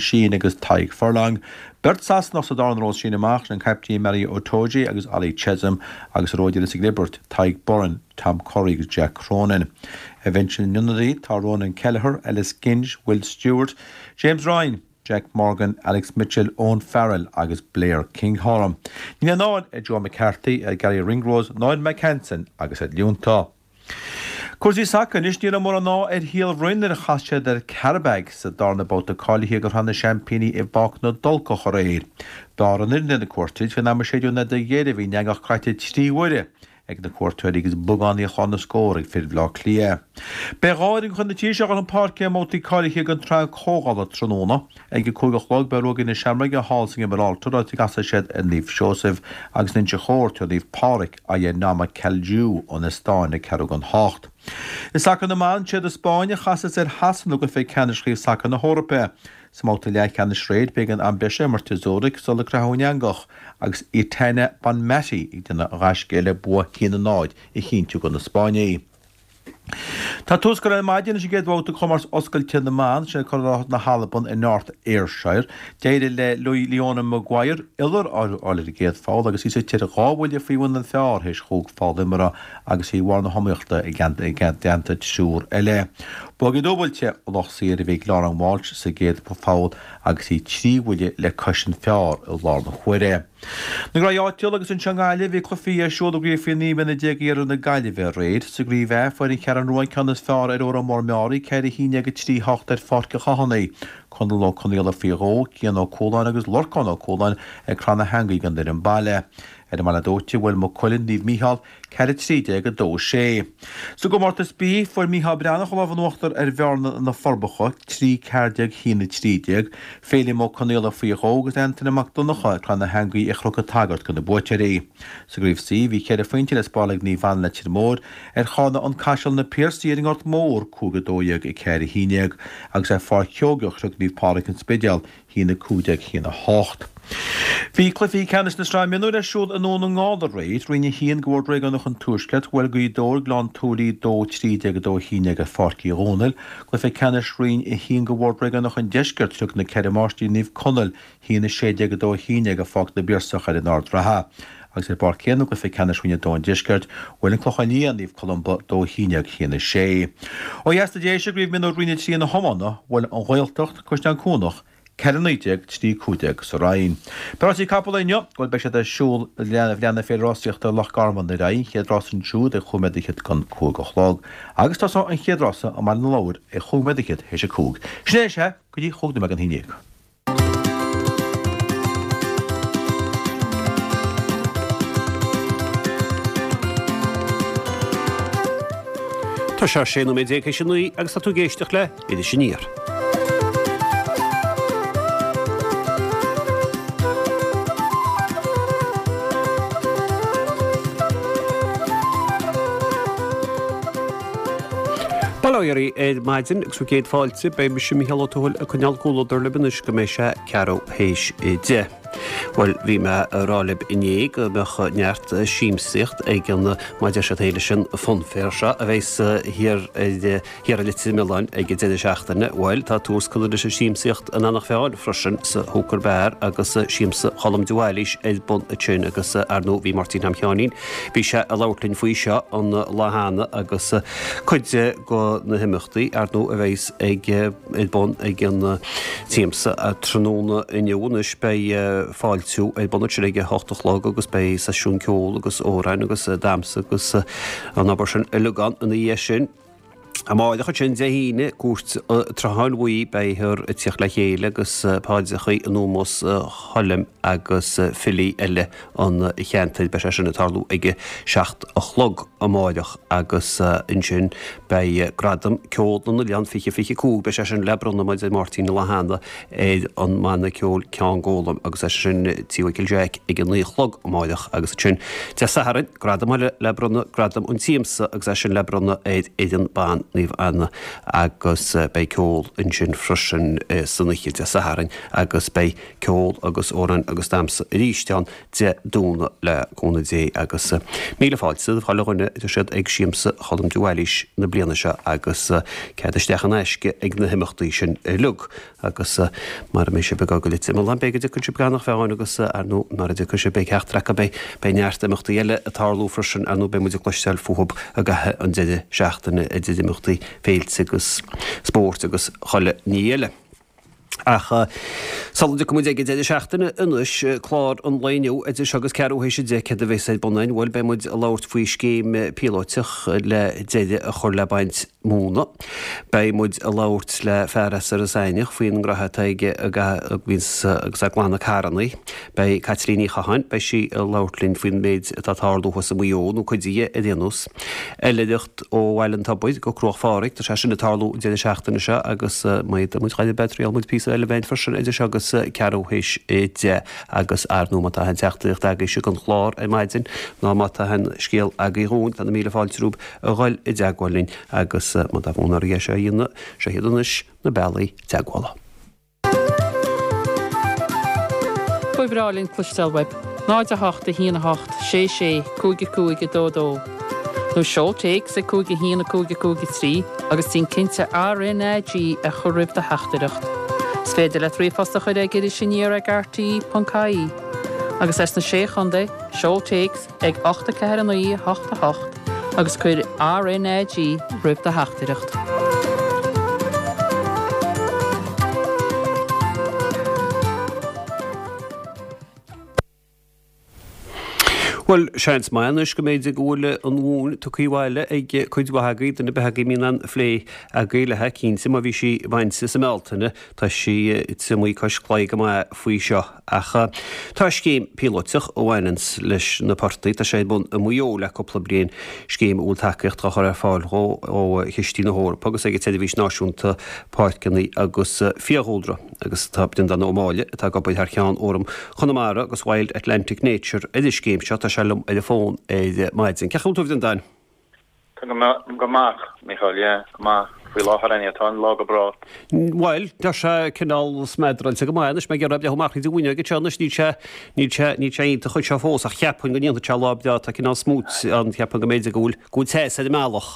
Sheehan agus Tadhg Furlong. Beirt Sasanach sa darna ró sin amach, sin an caiptín Maro Itoje agus Ollie Chessum agus sa ró deiridh sa gclibirt, Tadhg Beirne, Tom Curry agus Jack Cronin. Ar bhinse na n-ionadaí tá Ronan Kelleher, Ellis Genge, Will Stewart, James Ryan, Jack Morgan, Alex Mitchell, Owen Farrell agus Blair Kinghorn. Níl aon fháil ar Joe McCarthy, ar Garry Ringrose ná ar Mike Hansen agus iad líonta. Cúrsaí sacair anois, ní raibh mórán ádh ar Shíol Bhroin nuair a chas siad ar Qarabag sa darna babhta cáilithe do Shraith na Seaimpíní i bPáirc na dTulcach aréir. B'fhearr an fhoireann ar na cuairteoirí, faoin am a séideadh an fheadóg dheiridh bhí an eangach croite 3 huaire ag na cuairteoirí agus bogánaí ar chlár na scór ag fir Bhaile Átha Cliath. Beidh 2 fhoireann de chuid na tíre seo ag dul chun páirce i mbabhtaí cáilithe den tsraith comhdhála tráthnóna. Ag a 5 a chlog beidh Ruagairí na Seamróige thall sa nGiobráiltear áit a gcasfaidh siad ar Naomh Seosamh agus in Inse Chór tabharfaidh Naomh Pádraig aghaidh ar Nõmme Kalju ón Eastóin ag ceathrú don hocht. I sacar na mban, siad an Spáinn a chasfas ar Shasana i gcluiche ceannais Chraobh Sacair na hEorpa. Sa mbabhta leathcheannais aréir b'éigean am breise a imirt i Zurich sula croitheadh an eangach agus Aitana Bonmati ag déanamh gaisce le bua 1-0 a chinntiú do na Spáinnigh. Tá tús curtha ar maidin leis an gcéad bhabhta de chomórtas oscailte na mban, sin curaidh na hAlban i North Ayrshire. D'éirigh le Leona Maguire iolar a fháil ar an gcéad pholl agus í suite ar dhá bhuille faoi bhun an phar théis chúig pholl imeartha agus í i mbarr na hiomaíochta i dteannta triúr eile. Bogey dúbailte ó lucht saoire a bhí ag Lauren Walsh sa gcéad pholl agus í trí bhuille le cois an phar i lár na huaire. Na gnaithí áitiúla agus anseo i nGaillimh, bhí cluichí ar siúl i gCraobh Faoi 19 mbliana Iarthar na Gaillimhe aréir. Sa gCraobh A, fuair an Cheathrú Rua an ceann is fearr ar Órán Mór Meáraí, 4 11 3 8 ar Pháirc an Chathánaigh. Conall Ó Conaola faoi dhó, Cian Ó Cualáin agus Lorcán Ó Cualáin ag cur na heangaí don fhoireann baile. Ar an mBaile Dóite, bhuail Maigh Cuilinn Naomh Mícheál, 4 13 2 6. Sa gcomórtas B, fuair Mícheál Breathnach an lámh in uachtar ar Bhearna na Forbacha, 3 14 1 13. Féilim Ó Conaola faoi dhó agus Antaine Mac Donncha ag cur na heangaí ar Chnoc an tSagairt do na buaiteoirí. Sa gcraobh C, bhí ceithre phointe le spáráil ag Naomh Anna Leitir Móir ar Charna An Caiseal Na Piarsaigh ar an nGort Mór, 5 12 4 11, agus ar Pháirc Sheoigeach shroich Naomh Pádraig An Spidéal 1 15 1 8. Bhí cluichí ceannais na Sraithe Mionúir ar siúl i nDún na nGall aréir. Roinn 1 de Bhord Réigiúnach an Tuaiscirt, bhuail Gaoth Dobhair Gleann tSúilí 2 13 2 11 ar Pháirc Uí Dhónaill. Cluiche ceannais Roinn 1 de Bhord Réigiúnach an Deiscirt, shroich na Ceithre Máistrí Naomh Conaill 1 16 2 11 ar Pháirc na bPiarsach ar an Ard Ratha. Agus ar an bpáirc chéanna i gcluiche ceannais Roinn 2 an Deiscirt, bhuail an Clochán Liath Naomh Columba 2 11 1 6. Ó dheas de Dhéise i gCraobh Mionúir Roinn 3 na hiomána, bhuail an Ghaeltacht, Caisleán Cuanach, 4 19 3 15 sa Rinn. Beidh rásaí capall inniu, bhuel beidh siad ar siúl, leanfaidh Féile Rásaíochta Loch Garman ar aghaidh, an chéad rás ansiúd ag chúig nóiméad fhichead don cúig a chlog. Agus tosóidh an chéad rása i mBaile na Lobhar ag chúig nóiméad fhichead théis a cúig. Sin é is ea, go dtí chúig nóiméad don haon dhéag. Tá sé 16 nóiméad théis a 9 agus tá tú ag éisteacht le Iris Aniar. Bail ó Dhia oraibh ar maidin agus bhur gcéad fáilte. Beidh mise Mícheál Ó Tuathail ag coinneáil comhluadar libh anois go mbeidh sé ceathrú théis a 10. Bhuel, bhí mé a rá libh inné go mbeadh neart siamsaíocht ag an, mar a deir siad féin leis an Funfair seo a bheas thiar ar, thiar i Leitir Mealláin ag an deireadh seachtaine. Bhuel, tá tús curtha leis an siamsaíocht in Eanach Mheáin freisin sa Hooker Bar agus Siamsa Cholm de Bhailís ar bun ansin agus ar ndóigh bhí Máirtín Tom Sheáinín, bhí sé ag labhairt linn faoi seo an lá cheana agus cuid de na himeachtaí, ar ndóigh, a bheas ag ar bun ag an tsiamsa tráthnóna inniu. Anois beidh fáiltiú ar bun ansin ag a hocht a chlog agus beidh seisiún ceoil agus amhráin agus damhsa agus an obair sin uilig ann ina dhiaidh sin. Amáireach ansin Dé hAoine, Cúirt an tSrutháin Bhuí, beifear ag tíocht le chéile agus paidreachaí in ómós Choilm agus filí eile an cheantair. Beidh sé sin ag tarlú ag a 7 a chlog amáireach agus ansin beidh Gradam Ceol na nOileán 2025, beidh sé sin le bronnadh mar a deir Máirtín an lá cheana ar an mbanna ceoil Ceann Gólaim agus é sin Tí Mhichíl Jeaic ag a 9 a chlog amáireach agus ansin Dé Sathairn, gradam eile le bronnadh, Gradam an tSiamsa agus é sin le bronnadh ar fhoireann ban. Óstlann Naomh Anna agus beidh ceol ansin freisin san oíche Dé Sathairn agus beidh ceol agus amhráin agus damhsa arís ann Dé Domhnaigh le cúnamh Dé agus míle fáilte do chuile dhuine a deir siad ag Siamsa Cholm de Bhailís na bliana seo agus cead isteach in aisce ag na himeachtaí sin uilig. Agus mara mbeidh sibh ag dul go Leitir Mealláin, b'fhéidir go dtiocfaidh sibh go Eanach Mheáin agus, ar ndóigh, mara dtiocfaidh sibh, beidh ceachtar acu, beidh, beidh neart imeachtaí eile ag tarlú freisin, ar ndóigh, beidh muid ag cloisteáil fúthub i gcaitheamh an deireadh seachtaine, idir imeachtaí féilte agus spóirt agus chuile ní eile. Ach sula dtiocfaidh muid ag an deireadh seachtaine anois, clár an lae inniu, idir seo agus ceathrú théis a 10, céard a bheas ar bun againn? Bhuel, beidh muid ag labhairt faoi scéim píolóiteach le deireadh a chur le baint móna. Beidh muid ag labhairt le fear as Iorras Aithneach faoin ngraithe atá aige ag agus ag glanadh carrannaí. Beidh Caitlín Ní Chatháin, beidh sí ag labhairt linn faoin méid atá ag tarlú thuas i Maigh Eo, nó cuid dhe ar aon nós. Oilithreacht ó Bhaile an Tobair go Cruach Phádraig, tá sé sin ag tarlú an deireadh seachtaine seo agus má tá muid chomh beidh triail muid píosa eile bheinn freisin idir seo agus ceathrú théis a 10 agus ar ndóigh má tá aon teachtaireacht agaibhse don chlár ar maidin ná má tá aon scéal agaibh dhúinn tá na míle fáilte romhaibh a dhul i dteagmháil linn agus má tá fonn oraibh é seo a dhéanamh, seo iad anois na bealaí teagmhála. Ba bhreá linn cloisteáil uaibh. 0 8 1 8 6 6 5 5 2 2 Nó seol téacs ag 5 1 5 5 3 agus déan cinnte RNAG a chur roimh do theachtaireacht. Is féidir leat ríomhphost a chur ag Iris Aniar ag rte.ie. Agus as na Sé Chontae, seol téacs ag 8 4 9 8 8 agus cuir RNAG roimh do theachtaireacht. Bhuel, seans maith anois go mb'fhéidir go bhfuil an mhóin tugtha abhaile ag cuid mhaith agaibh, duine ar bith agaibh a mbíonn aon phlé agaibh léi, cinnte, má bhí sí bainte sa mBealtaine, tá sí triomaithe cois claí go maith faoi seo. Ach tá scéim píolóiteach a bhaineanns leis na portaigh, tá sé ar bun i Maigh Eo le cúpla bliain, scéim a bhfuil tacaíocht á chur ar fáil dhó ó chistí na hEorpa agus ag an tSeirbhís Náisiúnta Páirceanna agus Fiadhúlra. Agus tá Breandán Ó Máille, atá ag obair thar cheann Fhóram Chonamara agus Wild Atlantic Nature ar an scéim seo, tá sé liom ar an bhfón ar maidin. Cén chaoi a bhfuil tú a Bhreandáin? Tá go maith, Mícheál, yeah, go maith. Faoi láthair anyway, tá an lá go breá. Bhuel, tá sé cineál smeadráilte go maith anois, mé ag iarraidh breathnú amach thríd an bhfuinneog anseo anois, níl sé, níl sé, níl sé iontach anseo fós ach cheapfainn go ndéanfaidh sé lá breá, tá cineál smúit ann, cheapfainn go mb'fhéidir go bhfuil, go bhfuil teas ar an mbealach.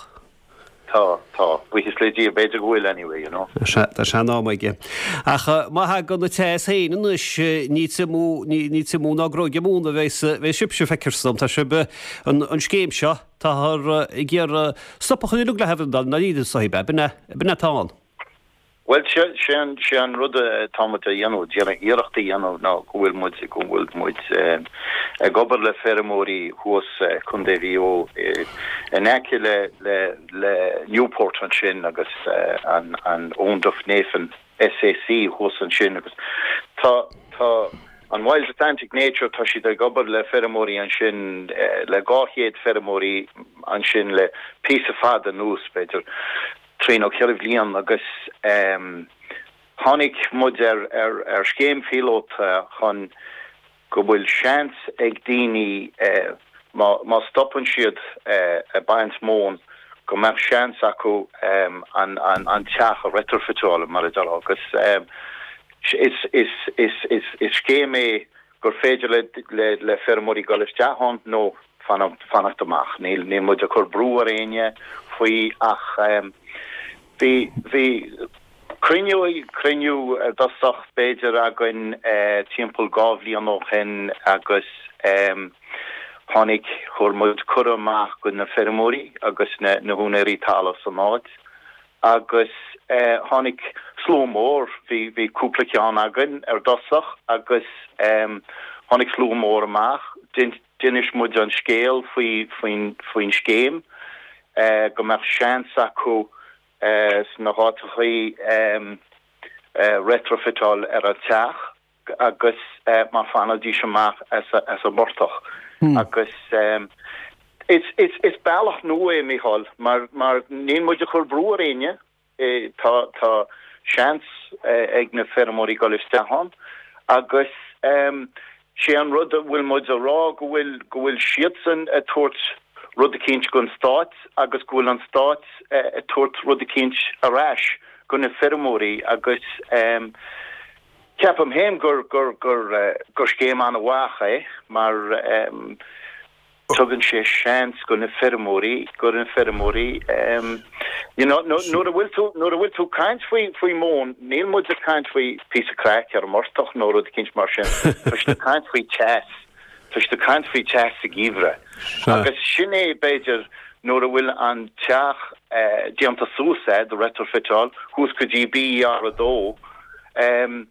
Tá, tá. Buíochas le Dia, b'fhéidir go bhfuil anyway, you know. Sea, tá sé in am aige. Ach má thagann an teas féin anois, ní triomú, ní, ní triomú ná gróigeadh móna a bheas, bheas sibhse, feictear dom. Tá sibh, an, an scéim seo, Táthar ag iarraidh stop a chur uilig léi a Bhreandáin, ndáiríre is dóigh, b'in é, b'in é atá ann. Bhuel, sé an, sé an rud atá muid a dhéanamh, déanamh iarracht a dhéanamh ná go bhfuil muid, go bhfuil muid ag obair le feirmeoirí thuas Contae Mhaigh Eo in aice le, le, le Newport ansin agus an, an Owenduff Nephin SAC thuas ansin agus tá, tá, An Wild Atlantic Nature, tá siad ag obair le feirmeoirí ansin, le 200 feirmeoirí ansin le píosa fada anuas, b'fhéidir trí nó ceithre bhliain agus tháinig muid ar scéim phíolóta chun go bhfuil seans ag daoine má stopann siad ag baint móin go mbeadh seans acu an teach a reitrifiteáil mar a déarfá agus Is scéim é gur féidir le feirmeoirí dul isteach ann nó fanacht amach. Níl muid ag cur brú ar éinne faoi ach bhí bhí cruinniú cruinniú ar dtosach b'fhéidir againn timpeall 2 bhliain ó shin agus tháinig chuir muid cuireadh amach go na feirmeoirí agus na húinéirí talaimh san áit agus tháinig slua mór, bhí, bhí cúpla ceann againn ar dtosach agus tháinig slua mór amach, d'inis muid an scéal faoi, faoin, faoin scéim, go mbeadh seans acu sna háiteachaí retrofiteáil ar an teach agus má fanaidís amach as an bportach agus is is bealach nua é Mícheál mar mar níl muid ag cur brú ar éinne tá tá seans ag na feirmeoirí dul isteach ann agus sé an rud a bhfuil muid a rá go bhfuil go bhfuil siadsan ag tabhairt. rud eicínt gon stát agus go bhfuil an stát ag tabhairt rud eicínt ar ais go na feirmeoirí agus ceapaim féin gur gur gur gur scéim an-mhaith é mar tugann sé seans go na feirmeoirí go na feirmeoirí you know nuair a bhfuil tú nuair a bhfuil tú caint faoi faoi móin níl muid ag caint faoi píosa craic ar an bportach nó rud eicínt mar sin tá siad ag caint faoi teas tá siad ag caint faoi teas sa gheimhreadh agus sin é b'fhéidir nuair a bhfuil an teach déanta suas a'd retrofiteáil thuas go dtí BER 2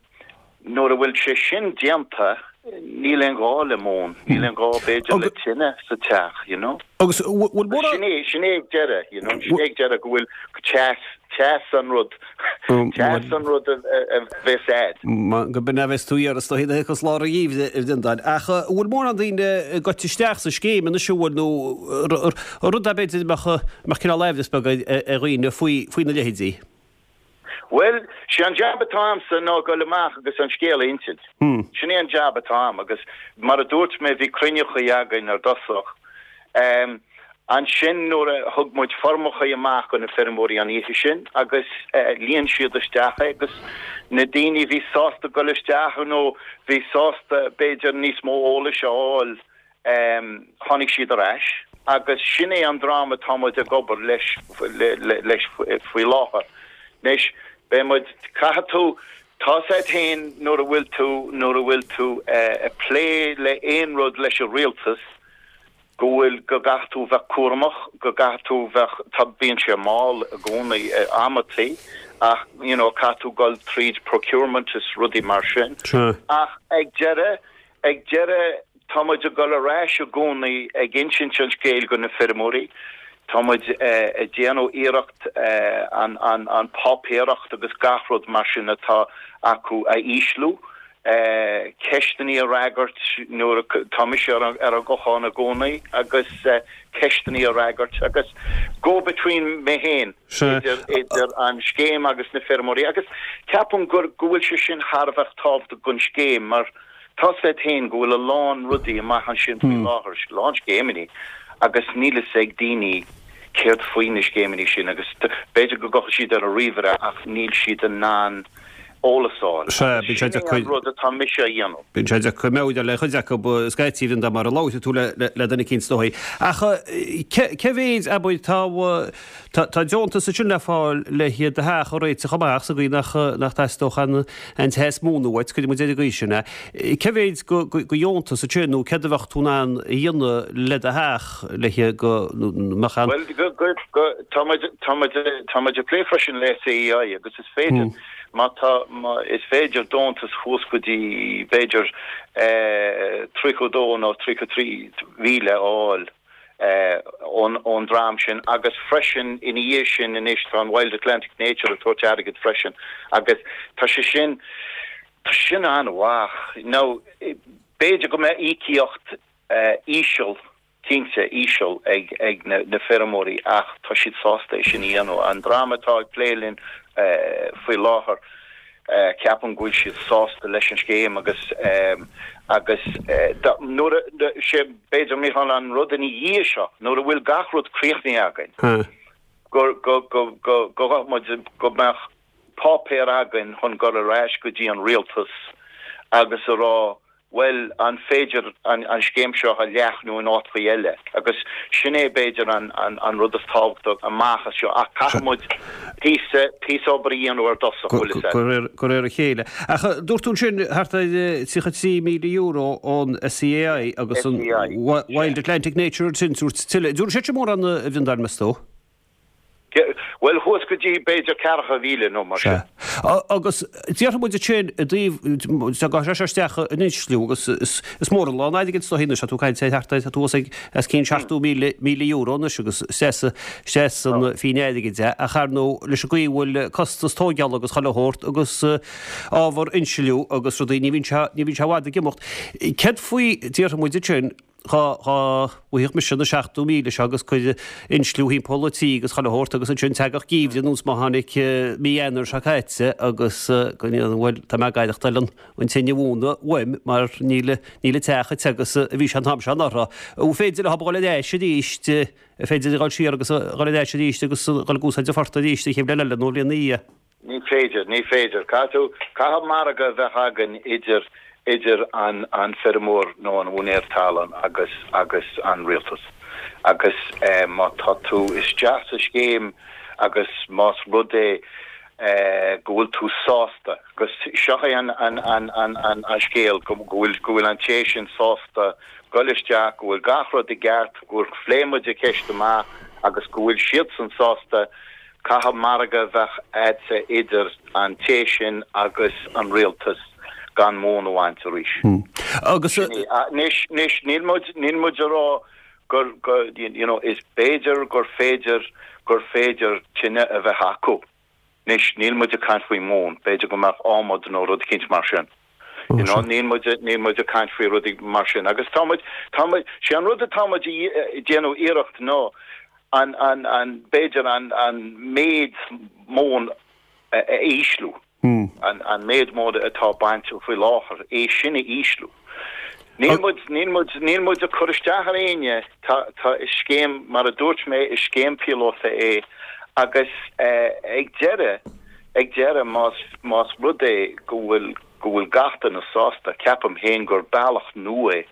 Nuair a bhfuil sé sin déanta, níl aon ghá le móin, níl aon ghá b'fhéidir le tine sa teach, you know. Agus bhfuil mórán. Sin é, sin é ag deireadh, you know, sin é ag deireadh go bhfuil teas, teas an rud, teas an rud a bheas a'd. Go b'in a bheas tú iarraidh is dóigh, is lár an gheimhridh a Bhreandáin. Ach bhfuil mórán daoine ag goil isteach sa scéim anois, an bhfuil, nó rud é b'fhéidir a mbeadh cineál aimhreas beag ar dhaoine faoi, faoina leithéidí? Bhuel, sé an jab atá a'msa ná goil amach agus an scéal a insint. Sin é an jab atá a'm agus mar a dúirt mé bhí cruinneachaí againn ar dtosach. Ansin nuair a thug muid foirmeachaí amach go na feirmeoirí an oíche sin agus líon siad isteach é agus na daoine a bhí sásta goil isteach nó bhí sásta b'fhéidir níos mó eolais a fháil, Tháinig siad ar ais agus sin é an dream atá muid ag obair leis leis faoi láthair. Anois, beidh muid, caithfidh tú, tá's a'd féin nuair a bhfuil tú, nuair a bhfuil tú ag plé le aon rud leis an rialtas, go bhfuil, go gcaithfidh tú bheith cúramach, go gcaithfidh tú bheith, tá, bíonn sé mall i gcónaí amantaí ach you know caithfidh tú dul tríd procurement is rudaí mar sin. Ach ag deireadh, Ag deireadh, tá muid ag dul ar ais i gcónaí ag insint an scéil go na feirmeoirí. Tá muid ag déanamh iarracht an páipéaracht agus gach rud mar sin atá acu a ísliú, ceisteanna a fhreagairt nuair a, tá mise ar an nguthán i gcónaí agus ceisteanna a fhreagairt agus go between mé féin idir idir an scéim agus na feirmeoirí agus ceapaim gur go bhfuil sé sin thar a bheith tábhachtach don scéim mar Tá's a'd féin go bhfuil a lán rudaí amach ansin faoi láthair, a lán scéimeanna, agus níl fhios ag daoine céard faoi na scéimeanna sin agus b'fhéidir go gcuirfidh siad ar an ríomhaire ach níl siad in ann eolas a fháil. Sea, bíonn sé deacair. Sin é an rud atá mise a dhéanamh. Bíonn sé deacair maidir le cuid acu scaití de mar a labhróidh tú le duine eicínt is dóigh. Ach cé mhéid, abair, tá Tá deontas ansin le fáil le do theach a réiteach amach sa gcaoi nach dteastódh an teas móna uait, cuirfidh muid ar an gcaoi sin é. Cé mhéid de dheontas ansin nó céard a bheadh tú in ann a dhéanamh le do theach le go mbeadh an. Bhuel, tá muid, tá muid, tá muid ag plé freisin le SEAI agus is féidir, má tá, is féidir deontas thuas go dtí b'fhéidir 32 nó 33 mhíle a fháil. ón dream sin agus freisin ina dhiaidh sin anois tá an Wild Atlantic Nature ag tabhairt airgead freisin agus tá sé sin, tá sé sin an-mhaith. Now b'fhéidir go mbeadh íocaíocht íseal, cinnte íseal ag ag na na feirmeoirí ach tá siad sásta é sin a dhéanamh. An dream atá ag plé linn faoi láthair, Ceapaim go bhfuil siad sásta leis an scéim agus agus nuair a, sé b'fhéidir Mícheál an rud ina dhiaidh seo, nuair a bhfuil gach rud críochnaithe againn, go go go go go ghabh muid go mbeadh páipéar againn chun dul ar ais go dtí an rialtas agus a rá bhuel, an féidir an scéim seo a leathnú in áiteachaí eile? Agus sin é, b'fhéidir, an rud is tábhachtaí amach as seo. Ach caithfidh muid píosa, píosa obair a dhéanamh ar dtosach, bhfuil fhios a'd. De réir a chéile. Ach dúirt tú ansin thart ar €33,000 ón SEAI agus an Wild Atlantic Nature ansin, dúirt tuilleadh. Dúirt siad sin mórán, a Bhreandáin, meas tú? Bhuel, thuas go dtí b'fhéidir 40,000 nó mar sin. Sea. Agus déarfaidh muid ansin i dtaobh, gabhfaidh sé seo isteach in insliú agus is mór an lán airgid is dóigh anois, tá tú ag caint ar thart ar, tá tú os ag, os cionn €70,000 anois agus isteach san phingin airgid é, ach ar ndóigh leis an gcaoi a bhfuil costas tóigeála agus chuile shórt agus ábhar insliú agus rudaí, ní bhíonn sé, ní bhíonn sé i bhfad ag imeacht. Céard faoi, déarfaidh muid ansin. Dhá bhfaigheadh mise na 70,000 seo agus cuir insliú thimpeall an tí agus chuile shórt agus ansin teagadh geimhreadh anuas má tháinig mí Eanáir seo caite agus go ndéanfainn, bhuel, tá mé ag aireachtáil an tine mhóna uaim mar níl níl an teach chomh te agus a bhí sé an t-am seo anuraidh. An féidir leo a dhul ar ais arís, an féidir a dhul siar agus a dhul ar ais arís agus a dhul ag úsáid an phortaigh arís an chéad bhliain eile nó an bhliain ina dhiaidh? Ní féidir, ní féidir. Caithfidh tú, caithfidh margadh a bheith againn idir, idir an, an feirmeoir nó an úinéir talún agus, agus an rialtas. Agus eh má tá tú isteach sa scéim agus más rud é eh go bhfuil tú sásta, agus seo é an, an, an, an, an, an scéal, go, go bhfuil, go bhfuil an té sin sásta goil isteach, go bhfuil gach rud i gceart, gur phléigh muid an cheist amach agus go bhfuil siadsan sásta, Caithfidh margadh a bheith a'dsa idir an té sin agus an rialtas gan móin a bhaint arís. Agus. Sin é. Anois, anois, níl muid, níl muid a rá gur, go, you know, is b'fhéidir gur féidir, gur féidir tine a bheith acu. Anois, níl muid ag caint faoi mhóin, b'fhéidir go mbeadh adhmad nó rud eicínt mar sin. You know, níl muid, níl muid ag caint faoi rudaí mar sin. Agus tá muid, tá muid, sé an rud atá muid ag déanamh iarracht ná an, an, an, b'fhéidir an, an méid móin a, a ísliú. An, an méid móin atá bainte faoi láthair, é sin a ísliú. Níl muid, níl muid, níl muid ag cur isteach ar éinne, tá, tá, is scéim, mar a dúirt mé, is scéim píolóta é agus eh, ag deireadh, Ag deireadh, más, más rud é go bhfuil, go bhfuil gach duine sásta, ceapaim féin gur bealach nua é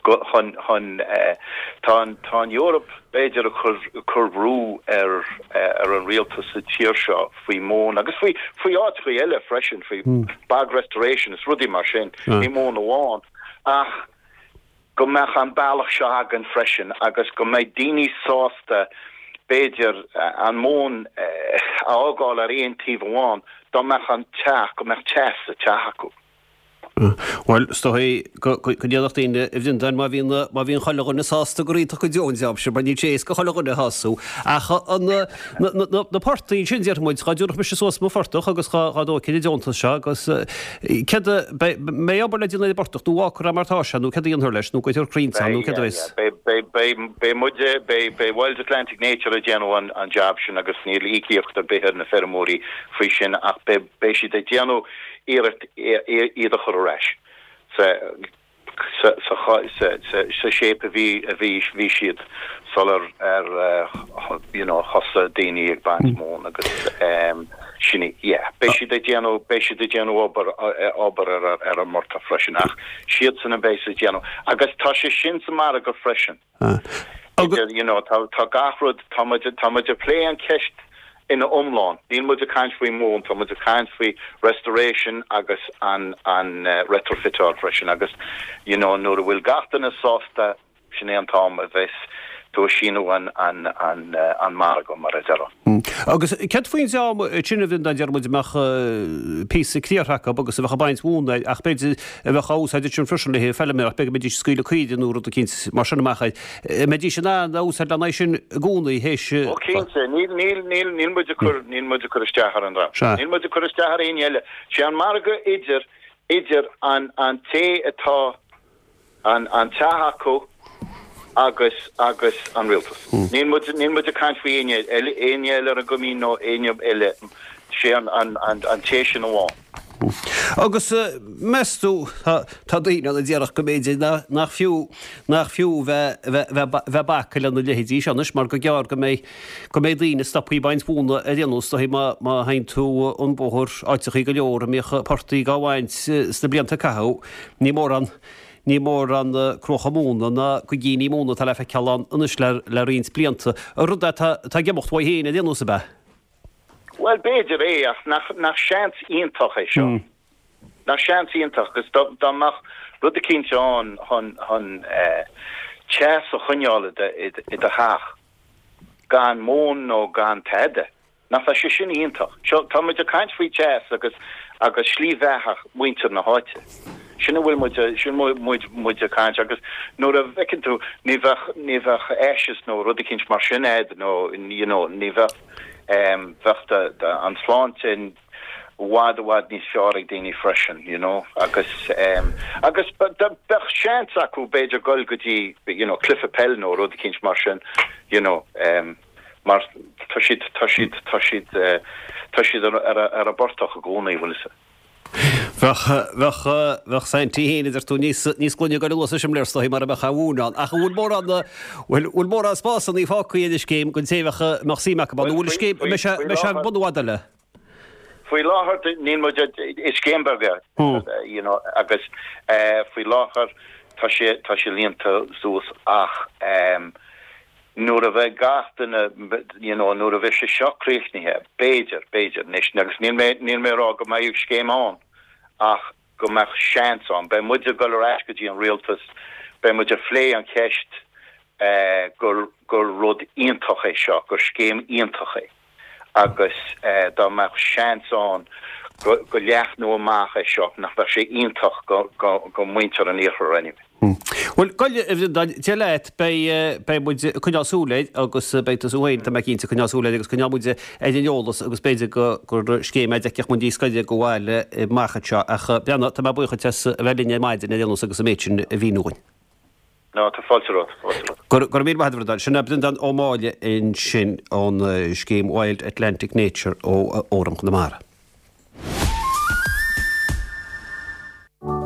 go, chun, chun eh, tá an, tá an Eoraip b'fhéidir ag cur, ag cur brú ar, eh, ar an rialtas sa tír seo faoi mhóin agus faoi, faoi áiteachaí eile freisin, faoi bog restoration is rudaí mar sin, ní móin amháin ach, go mbeadh an bealach seo againn freisin agus go mbeidh daoine sásta, b'fhéidir, an mhóin a fhágáil ar aon taobh amháin dá mbeadh an teach, go mbeadh teas sa teach acu. Bhuel, is dóigh go ndéanfadh daoine, a Bhreandáin, má bhíonn, má bhíonn chuile dhuine sásta gur iontach go deo an jab sin, mar níl sé éasca chuile dhuine a shású. Ach an, na, na, na portaigh ansin, déarfaidh muid, dhá dtabharfadh mise suas mo phortach agus dhá, dhá dtógfainn an deontas seo agus Céard a, beidh, mbeidh obair le déanamh ar an bportach nó fágfar é mar atá sé nó céard a dhéanfar leis nó cuirfear crainnte ann nó céard a bheas? Beidh, beidh, beidh, beidh muide, beidh, beidh Wild Atlantic Nature ag déanamh an, an jab sin agus níl íocaíocht ar bith ar na feirmeoirí faoi sin ach beidh, beidh siad ag déanamh iarracht iad a chur ar ais sa, sa shape a bhí a bhí bhí siad sular ar you know thosaigh daoine ag baint móin agus sin é yeah beidh siad ag déanamh beidh siad ag déanamh obair obair ar ar an bportach freisin ach siadsan a bheas ag déanamh agus tá sé sin sa margadh freisin. Idir, you know, tá, tá gach rud, tá muid, tá muid ag plé an cheist ina iomlán. Níl muid ag caint faoi mhóin, tá muid ag caint faoi restoration agus an, an retrofiteáil freisin agus, you know, nuair a bhfuil gach duine sásta, sin é an t-am a bheas tú ag síniú an, an, an, an margadh, mar a déarfá. Agus céard faoin dream sin a bhíonn, deir muid, a mbeadh píosa criathrair acu agus a bheadh ag baint mhóna air ach b'fhéidir a bheadh á úsáid ansin freisin le haghaidh feilméaracht, b'fhéidir go mbeidís ag scaoileadh caoirigh nó rud eicínt mar sin amach air. An mbeidís in ann a úsáid lena aghaidh sin i gcónaí théis. Ó cinnte, níl, níl, níl, níl muid ag cur, níl muid ag cur isteach ar an dream. Sea. Níl muid ag cur isteach ar éinne eile. Sé an margadh idir, idir an, an té atá an, an teach acu agus, agus an rialtas. Níl muid, níl muid ag caint faoi éinne eile, éinne eile ar an gcoimín nó éinne eile. Sé an, an, an, an té sin amháin. Agus meas tú, tá daoine ann a déarfadh go mb'fhéidir nach fiú, nach fiú bheith, bheith, bheith ag bacadh lena leithéidí seo anois mar gur gearr go mbeidh, go mbeidh daoine stoptha ag baint mhóna ar aon nós, dóigh má, má théann tú an bóthar áiteachaí go leor a mbíodh portaigh á bhaint sna blianta a caitheadh, ní mórán, ní mórán cruacha móna ná gaigíní móna atá le feiceáil ann anois le, le roinnt blianta. Rud atá, atá ag imeacht uaidh féin ar aon nós ab ea? Bhuel, b'fhéidir é, ach nach, nach seans iontach é seo? Nach seans iontach, agus dá, dá mbeadh rud eicínt ann chun, chun eh, teas a choinneáil i do, i do, i do theach, gan móin nó gan tada, nach bheadh sé sin iontach? Seo, tá muid ag caint faoi teas agus, agus slí bheatha muintir na háite. Sin a bhfuil muid, sin a bhfuil muid, muid ag caint agus nuair a bhfeiceann tú, ní bheadh, ní bheadh ashes nó rud eicínt mar sin a'd nó, you know, ní bheadh, bheadh an tsláinte. i bhfad i bhfad níos fearr ag daoine freisin, you know, agus em agus bheadh seans acu b'fhéidir dul go dtí you know cluiche peil nó rud eicínt mar sin, you know, em mar tá siad tá siad tá siad eh tá siad ar ar ar an bportach i gcónaí, bhfuil fhios. Bheadh bheadh bheadh Saintí féin a deir tú níos níos glaine ag goil anuas an simléar is dóigh mura mbeadh a mhóin ann. Ach an bhfuil mórán bhfuil bhfuil mórán spásanna fágtha ar an scéim don té a bheadh a mbeadh suim acu ann nó bhfuil an scéim an mbeidh sé mbeidh sé ar bun i bhfad eile? Faoi láthair níl muid, is scéim beag é, you know, agus faoi láthair tá sé, tá sé líonta suas ach nuair a bheidh gach duine, you know, nuair a bheidh sé seo críochnaithe, b'fhéidir, b'fhéidir, anois, agus níl mé, níl mé ag rá go mbeidh scéim ann ach go mbeadh seans ann. Beidh muid ag dul ar ais go dtí an rialtas, beidh muid ag phlé an cheist gur, gur rud iontach é seo, gur scéim iontach é. agus dá mbeadh seans ann go leathnú amach é seo, nach mbeadh sé iontach go muintir an iarthair anyway. Bhuel, gabh a Bhreandáin, Dia leat, beidh, beidh muid ag coinneáil súil air agus beidh tusa féin, tá mé cinnte, ag coinneáil súil air agus coinneoidh muid ar an eolas agus b'fhéidir go, gur scéim é a d'fheicfeadh muid níos gaire do bhaile amach anseo. Ach, a Bhreandáin, tá mé buíoch duit as a bheith linn ar maidin ar aon nós agus an méid sin a mhíniú dhúinn. No, tá fáilte romhat, fáilte romhat. Go raibh míle maith agat, a Bhreandáin. Sin é Breandán Ó Máille ansin ón scéim Wild Atlantic Nature ó Fhóram Chonamara.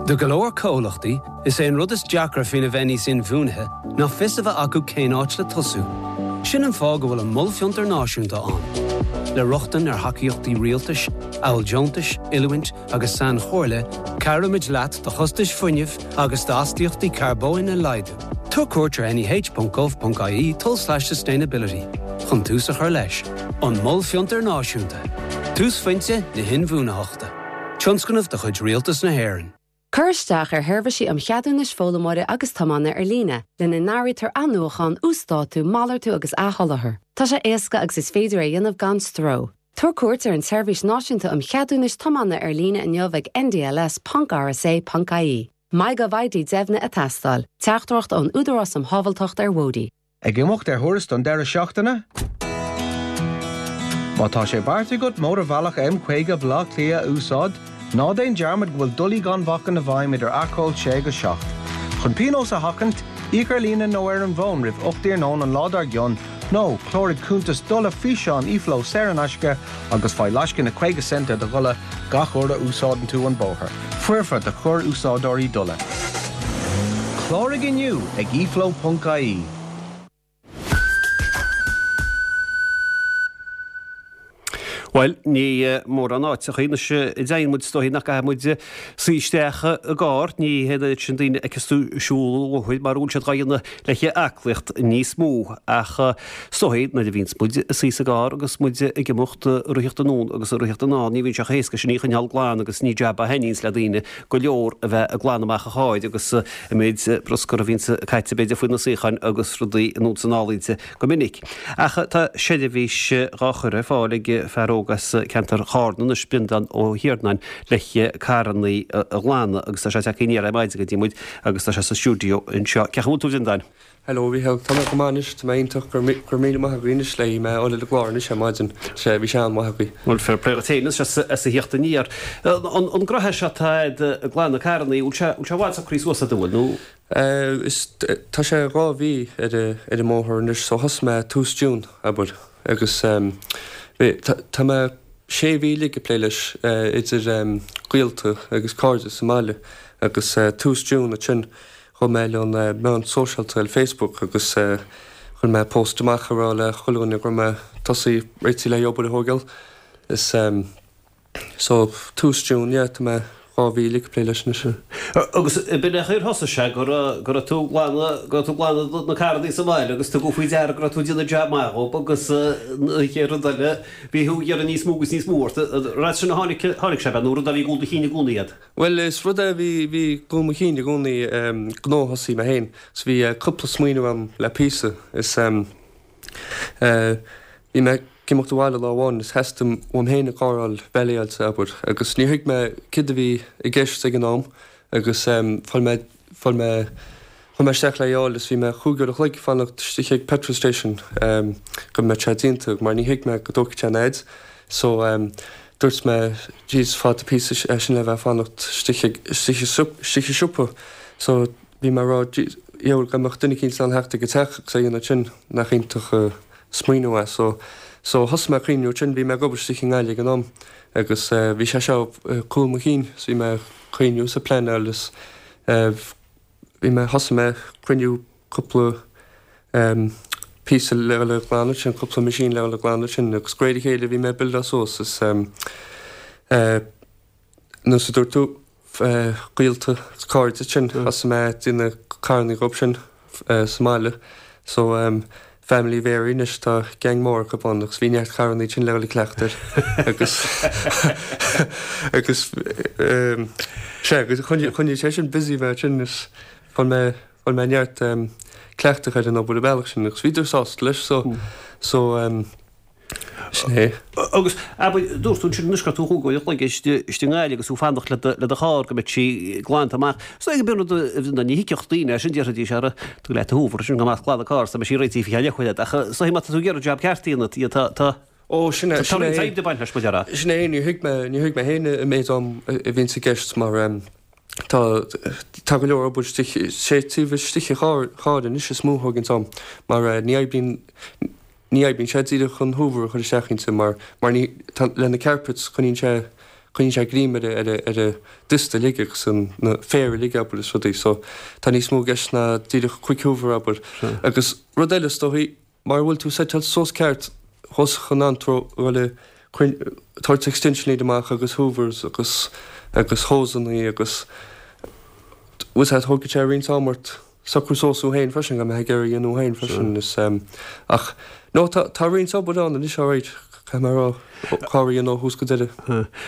Do go leor comhlachtaí, is é an rud is deacra faoina bheith níos inbhuanaithe ná fios a bheith acu cén áit le tosú. Sin an fáth go bhfuil an Mol Fiontar Náisiúnta ann. Le rochtain ar thacaíochtaí rialtais, amhail deontais, oiliúint agus sainchomhairle, cabhraímid leat do chostais fuinnimh agus d'astaíochtaí carbóin a laghdú. Tabhair cuairt ar neh.gov.ie tulslais-sustainability chun tús a chur leis. An Mol Fiontar Náisiúnta, túsphointe na hinbhuanaitheachta. Tionscnamh de chuid Rialtas na hÉireann. Cuir isteach ar sheirbhísí um cheadúnais foghlaimeora agus tiomána ar líne, lena n-áirítear athnuachan, uasdátú, malartú agus athsholáthar. Tá sé éasca agus is féidir é a dhéanamh gan stró. Tabhair cuairt ar an tSeirbhís Náisiúnta um Cheadúnais Tiomána ar líne inniu ag ndls.rsa.ie. MyGovID deimhnithe ag teastáil. Teachtaireacht ón Údarás um Shábháilteacht ar Bhóithre. Ag imeacht ar thuras don deireadh seachtaine? Má tá sé beartaithe agat Mótarbhealach M50 Bhaile Átha Cliath a úsáid, ná déan dearmad go bhfuil dolaí gan bhacainn i bhfeidhm idir acomhal 6 agus 7. Chun pionós a sheachaint, íoc ar líne nó ar an bhfón roimh 8 iarnóin an lá dár gcionn nó cláraigh cuntas dola físeáin eFlow saor in aisce agus faigh lascaine 50 cent ar do dhola gach uair a úsáideann tú an bóthar. Foirfe do chorr-úsáideoirí dola. Cláraigh inniu ag eflow.ie. Bhuel, ní mórán áiteachaí anois a dtéann muid, is dóichí nach gcaithfidh muid suí isteach i gcarr. Ní hé an oiread sin daoine a fheiceas tú ag siúl an bhóthair mar a bhfuil siad dhá dhéanamh le haclaíocht níos mó. Ach is dóichí nuair a bhíonns muid ag suí sa gcarr agus muid ag imeacht ag ritheacht anonn agus ag ritheacht anall, ní bhíonn sé chomh héasca sin í a choinneáil glan agus ní jab a thaitníonns le daoine go leor a bheith ag glanadh amach an chairr agus an méid bruscar a bhíonns caite b'fhéidir faoi na suíocháin agus rudaí anonn is anall inti go minic. Ach tá seirbhís dhá chur ar fáil ag fear óg as ceantar Chárna anois, Breandán Ó hIarnáin, le carrannaí a ghlanadh agus tá sé tagtha aniar ar maidin go dtí muid agus tá sé sa stiúideo anseo. Cén chaoi a bhfuil tú a Bhreandáin? Hello a Mhícheáil, tá mé go maith anois, tá mé iontach, go raibh míle maith agaibh anois le mé a fháil ar an gclár anois ar maidin, sé, bhí sé an-mhaith agaibh. Bhuel, fair play duit féin anois as a theacht aniar. An gnoithe seo atá a'd ag glanadh carrannaí, bhfuil sé, bhfuil sé i bhfad socraithe suas a'd, an bhfuil, nó? Is, tá sé 2 mhí ar ar an mbóthar anois, so thosaigh mé tús June, abair, agus bhí, tá mé sé mhí uilig ag plé leis idir gaolta agus cairde sa mbaile agus tús June ansin Chuaigh mé ar an meán sóisialta ar Facebook agus chuir mé post amach ag rá le chuile dhuine go raibh mé tosaí réitithe le obair a thógáil. Is so tús June yeah tá mé 2 mhí uilig ag plé leis anois. Agus b'in é ar thosaigh sé go raibh go raibh tú ag glanadh go raibh tú ag glanadh na carrannaí sa mbaile agus tugadh faoi deara go raibh tú ag déanamh jab maith dhób agus an chéad rud eile bhí thú ag iarraidh níos mó agus níos mó ort. Ar as sin a tháinig tháinig sé ab ea nó rud a bhí i gcúl do chinn i gcónaí iad? Bhuel, is rud é a bhí, bhí i gcúl mo chinn i gcónaí, gnó a thosaí mé féin. So bhí cúpla smaoineamh agam le píosa. Is eh, bhí mé ag imeacht abhaile lá amháin is theastaigh uaim féin an carr a fháil vailéáilte, abair, agus níor thuig mé céard a bhí i gceist ag an am agus fuair mé, fuair mé, chuaigh mé isteach le é a fháil is bhí mé chúig uair a chloig ag fanacht istigh ag petrol station go mbeadh sé déanta mar ní thuig mé go dtógfadh sé an fhaid. So. Dúirt mé jeez fada píosa é sin le bheith ag fanacht istigh istigh istigh i siopa so bhí mé ag rá jeez dheabhail dá mbeadh duine eicínt in ann theacht ag an teach agus é a dhéanamh sin nach iontach an smaoineamh é so so thosaigh mé ag cuimhniú ansin bhí mé ag obair istigh i nGaillimh ag an am agus bhí sé seo ag cúl mo chinn so bhí mé ag cuimhniú is ag pleanáil is bhí mé thosaigh mé ag cruinniú cúpla píosa le dhul ag glanadh sin, cúpla machine le dhul ag glanadh sin agus de réir a chéile bhí mé ag buildáil suas is nós a dúirt tú gaolta agus cairde sin thosaigh mé ag déanamh carrannaí dhób sin sa mbaile so family vary anois tá gang mór acu ann agus bhí neart carrannaí sin le dhul ag cleachtadh air agus agus sea agus choinnigh sé sin busy mé sin is fuair mé Fuair mé neart cleachtadh ar an obair an bealach sin agus bhíodar sásta leis so so sin é. Agus, abair, dúirt tú ansin anois go raibh tú chúig uair a chloig istigh i nGaillimh agus tú ag fanacht le do le do charr go mbeadh sí glanta amach. So ag an rud a ní thuigfeadh daoine é sin déarfaidís ara tig leat a hoover sin go maith glanadh carr so beidh sí réitithe faoi cheann leathuair ach so má tá tú ag iarraidh jab ceart a dhéanamh tá tá Ó sin é tá sin roinnt é oibre ag baint leis mo deara. Sin é níor thuig mé níor thuig mé féin an méid am a bhíonns i gceist mar Tá, tá go leor obair istigh, sé taobh istigh an chairr, chairr anois is mó a thóganns am mar ní oibríonn, ní oibríonn sé díreach an hoover a chur isteach inti mar, mar ní, tá, le na carpets coinníonn sé, coinníonn sé greim ar a, ar a, ar a dust uilig agus an, na féar uilig abair is rudaí so tá níos mó i gceist ná díreach quick hoover abair. Agus rud eile is dóichí, Mara bhfuil tú seiteáilte suas ceart thosach an antró dhul ag tabhairt extension lead amach agus hoovers agus agus hosannaí agus bhfuil fhios agat thógfaidh sé roinnt am ort socrú suas thú féin freisin go mbeifeá ag iarraidh a dhéanamh féin freisin is ach no tá tá roinnt obair ann anois alright caithfidh mé a rá carr a dhéanamh ó thús go deireadh.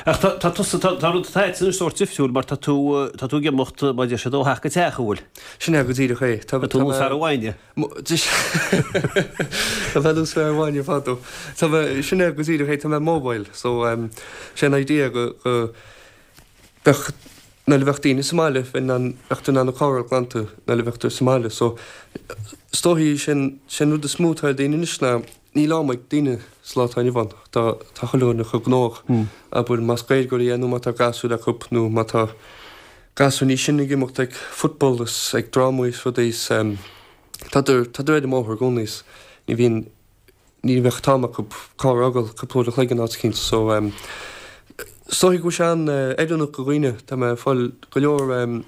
Ach tá tá tusa tá tá rud atá anois sórt difriúil mar tá tú tá tú ag imeacht mar a deir siad ó theach go teach an bhfuil? Sin é go díreach é. Tá tú nós fear an bhainne. Tá mé nós fear an bhainne fadó. Tá mé, sin é go díreach é, tá mé mobile so sé an idea go, go bheadh, nuair a bheadh daoine sa mbaile bheinn in ann, bheadh tú in ann an carr a fháil glanta nuair a bheadh tú sa mbaile so is dóichí sin, sin rud is mó atá ar daoine anois ná níl am ag daoine sa lá atá inniu ann, tá, tá chuile dhuine chomh gnóthach, abair más Gaeilgeoirí é nó má tá gasúir acu nó má tá Gasúir níos sine ag imeacht ag football is ag drámaí is rudaí is tádar, tádar ar an mbóthar i gcónaí is ní bhíonn, ní bheadh t-am acu carr a fhágáil cúpla uair a chloig in áit eicínt so is dóichí go bhfuil sé an-oiriúnach do dhaoine, tá mé ag fáil go leor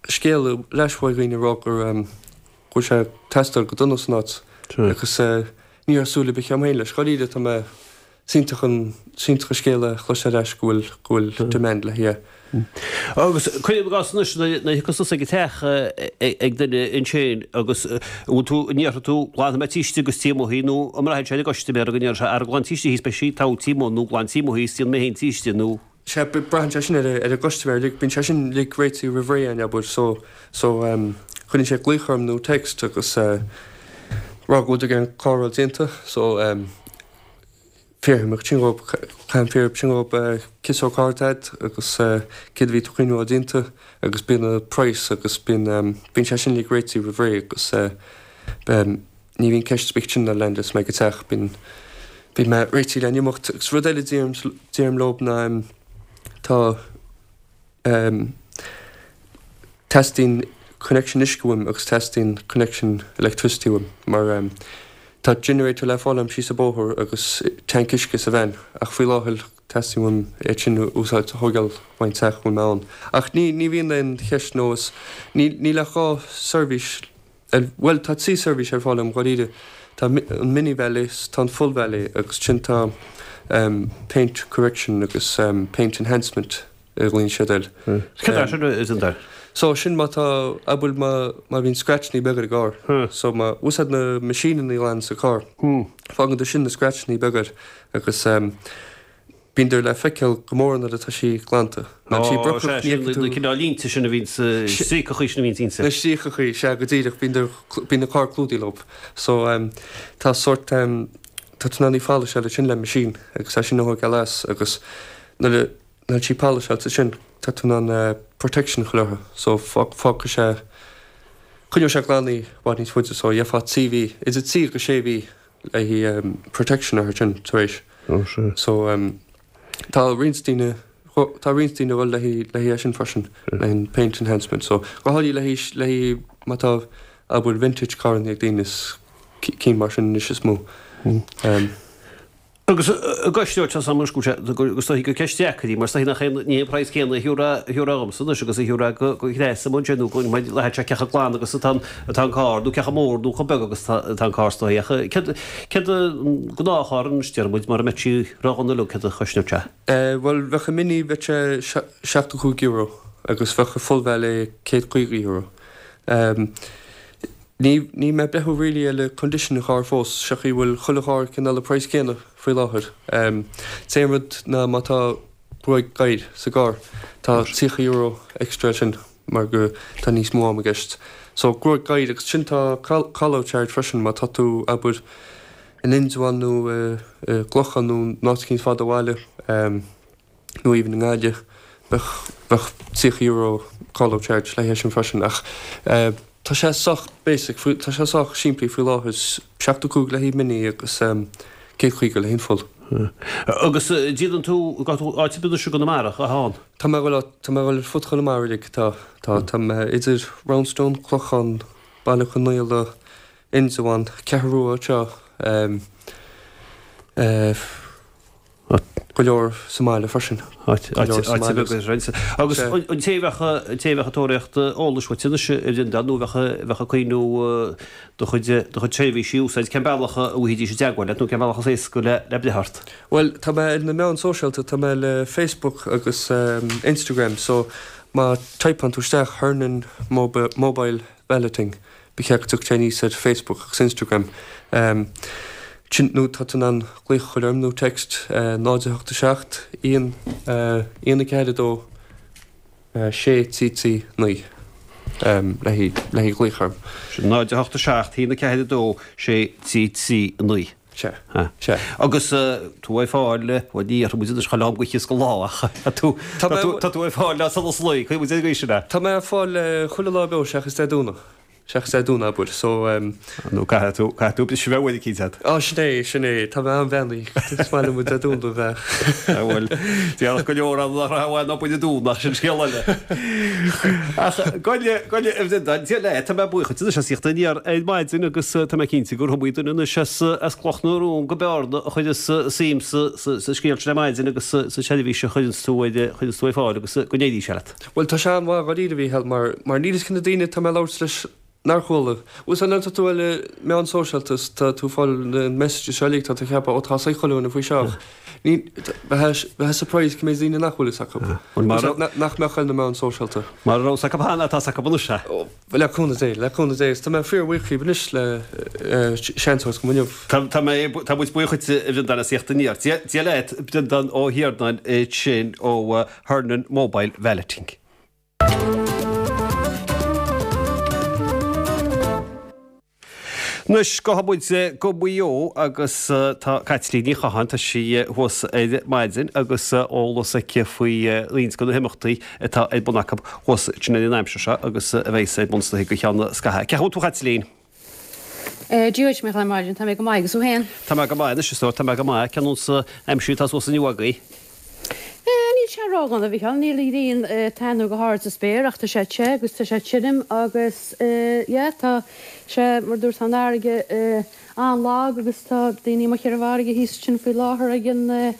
scéala ar ais ó dhaoine ag rá gur go bhfuil sé ag teastáil go dona san áit agus ní raibh súil ar bith agam féin leis, dháiríre tá mé Is iontach an, is iontach an scéal a chloisteáil ar ais go bhfuil, go bhfuil demand le haghaidh. Agus cuirim i gcás anois, nuair a thiocfas tusa ag an teach ag duine ansin agus an bhfuil tú, an ndéarfaidh tú, glanfaidh mé taobh istigh agus taobh amuigh nó an mbraitheann sé ar an gcustaiméir go ndéarfaidh sé, ara glan taobh istigh thíos beidh sí togha taobh amuigh nó glan taobh amuigh thíos déanfaidh mé féin taobh istigh nó. Sea, braitheann sé sin ar an gcustaiméir uilig, bíonn sé sin uilig réitithe roimh ré againn, abair, so, so cuireann sé glaoch orm nó text agus rá go bhfuil an carr a fháil déanta, so fiafraím ansin dhób, caithfidh mé fiafraí ansin dhób cén sórt carr atá agat agus céard a bhí tú ag cuimhniú a fháil déanta agus bíonn an price agus bíonn, bíonn sé sin uilig réitithe roimh ré agus ní bhíonn ceist ar bith ansin nuair a leandas mé go teach, bíonn, bíonn mé réitithe le n-imeacht agus rud eile a deirim, deirim leob ná tá, Teastaíonn connection uisce uaim agus teastaíonn connection electricity uaim mar tá generator le fáil agam síos an bóthar agus tank uisce sa veain ach faoi láthair teastaíonn uaim iad sin a úsáid a thógáil ón teach a bhfuil mé ann. Ach ní ní bhíonn aon cheist nó is níl níl ach 2 seirbhís ar bhuel tá 3 seirbhís ar fáil agam dháiríre tá an mini valet is tá an full valet agus ansin tá paint correction agus paint enhancement. a ghlaonn siad air. Cad é sin is an dar? So sin má tá, abair má má bhíonn scratchannaí beaga ar an gcarr. So má úsáid na machine-annaí a ghlananns an carr, fágann sin na scratchannaí beaga air agus bíonn le feiceáil go mór nuair atá sí glanta. Nuair atá sí brocach ní fheiceann tú. Na cineál línte sin a bhíonn sa stríocachaí sin a bhíonn inti. Na stríocachaí, sea go díreach, bíonn bíonn an carr clúdaithe leo. So tá sórt tá tú in ann í pholasáil ansin le machine agus é sin a thógáil as agus nuair a Nuair atá sí poliseáilte ansin tá tú in ann protection a chur uirthi so fágfaidh sé, coinneoidh sé glan í i bhfad níos faide so gheofá 3 mhí, idir 3 agus 6 mhí le haghaidh protection uirthi sin tar éis. So. Tá roinnt daoine, tá roinnt daoine ag dul le haghaidh, le haghaidh é sin freisin, le haghaidh an paint enhancement. So go háirithe le haghaidh, le haghaidh má tá, abair, vintage carranna ag daoine is cinn mar sin anois is mó. Agus an gcosnóidh sé san go is dóichí gur ceist deacair í mar is dóichí nach aon ní an praghas céanna a thiúrfá dhomsa anois agus a thiúrfá go Threasa amuigh ansin nó go mbeidh sé cé chomh glan agus atá an carr nó cé chomh mór nó chomh beag agus atá an carr is dóichí ach céard céard an gnáthcharr anois déarfaidh muid mara mbeadh sí ródhona uilig céard a chosnódh sé? Bhuel bheadh an Mini bheadh sé €75 agus bheadh an full valet €150. Ní, níl mé ag breathnú really ar le condition an chairr fós, sé chaoi bhfuil chuile charr cineál an price céanna faoi láthair. T-aon rud ná má tá gruaig gadhair sa gcarr, tá €30 extra air sin mar go tá níos mó am i gceist. So gruaig gadhair agus sin tá call, call out charge freisin má tá tú abair in Indreabhán nó i gClochán nó in áit eicínt fada ó bhaile. nó even i nGaillimh, bheadh, bheadh €30 call out charge le haghaidh sin freisin ach tá sé sách basic, tá sé sách simplí faoi láthair, 75 le haghaidh mini agus 150 le haghaidh an full. Agus déanann tú, gabh tú áit ar bith anois i gConamara, a Sheáin? Tá mé ag dul, tá mé ag dul ar fud Chonamara uilig, tá, tá, tá mé idir Roundstone, Clochán, Baile Conaola, Indreabhán, Ceathrú Rua anseo, eh, Go leor sa mbaile freisin. Áit bheag ar roinnt. Agus an té a bheadh, an té a bheadh ag tóraíocht eolais uait anois a Bhreandáin nó a bheadh, a bheadh ag cuimhniú do chuid, do chuid seirbhísí a úsáid, cén bealach a bhfaighidís i dteagmháil leat nó cén bealach is éasca le, le breith ort? Bhuel, tá mé ar na meáin sóisialta, tá mé le Facebook agus Instagram so má typeann tú isteach Hernon Mobile Valeting, Ba cheart go dtiocfadh sé aníos ar Facebook agus Instagram. Sin nó tá tú in ann glaoch a chur orm nó text 0 8 7 1 1 4 2 6 3 3 9 le haghaidh glaoch orm. Sin 0 8 7 1 4 2 6 3 3 9. Sea. Sea. Agus tú ar fáil, bhuel ní dhéarfaidh muid anois chuile am go oíche is go lá ach tá tú, tá tú ar fáil le solas lae, cuirfidh muid ar an gcaoi sin é. Tá mé ar fáil chuile lá beo seachas Dé Domhnaigh, seachas Dé Domhnaigh abair, so. Nó caithfidh tú, caithfidh tú briseadh bheith uair eicínt agat. Á sin é, sin é, tá mé an-bheannaithe, is maith liom Dé Domhnaigh a bheith. Bhuel, déarfadh go leor ann nach raibh uaidh ná bain an Domhnach, sin scéal eile. Ach gabh i leith, gabh i leith a Bhreandáin, Dia leat, tá mé buíoch duit anois as theacht aniar ar maidin agus tá mé cinnte gur iomaí duine anois as Cloch na Rón go Bearna a chuireas suim sa scéal sin ar maidin agus sa tseirbhís a chuireanns tú ar chuireanns tú ar fáil agus go n-éirí sé leat. Bhuel tá sé an-mhaith dháiríre a Mhícheáil mar mar níl fhios cé na daoine atá mé ag labhairt leis nár chuala. Bhuel nuair atá tú ar na meáin sóisialta is tá tú ag fáil na messages seo uilig tá tú ag ceapadh ó tá fhios ag chuile dhuine faoi seo ach ní bheifeá surprised cé méid daoine nach bhfuil fhios acu. Nach mbeadh ar na meáin sóisialta. Mara raibh fhios acu cheana tá fhios acu anois. Le cúnamh Dé, le cúnamh Dé, is tá mé fíorbhuíoch díbh anois le seans a thabhairt dom inniu. Tá mé, tá muid buíoch duit a Bhreandáin as theacht aniar. Dia leat, Breandán Ó hIarnáin ansin ó Hernon Mobile Valeting. Anois, gabhfaidh muid go Maigh Eo agus tá Caitlín Ní Chatháin, tá sí thuas ar maidin agus eolas aici faoi roinnt de na himeachtaí atá ar bun acu thuas ansin ar an aimsir seo agus a bheas ar bun is dóichí go ceann scaithimh. Cén chaoi a bhfuil tú a Chaitlín? Dia duit, a Mhícheáil, ar maidin, tá mé go maith agus thú féin? Tá mé go maith anois, a stór, tá mé go maith. Cén nós aimsire atá suas inniu agaibh? Níl sé ródhona, a Mhícheáil, níl an ghrian ag taitneamh go hard sa spéir ach tá sé te agus tá sé tirim agus yeah tá sé mar dúirt tá an fharraige an-lag agus tá daoine amuigh ar an bhfarraige thíos ansin faoi láthair ag an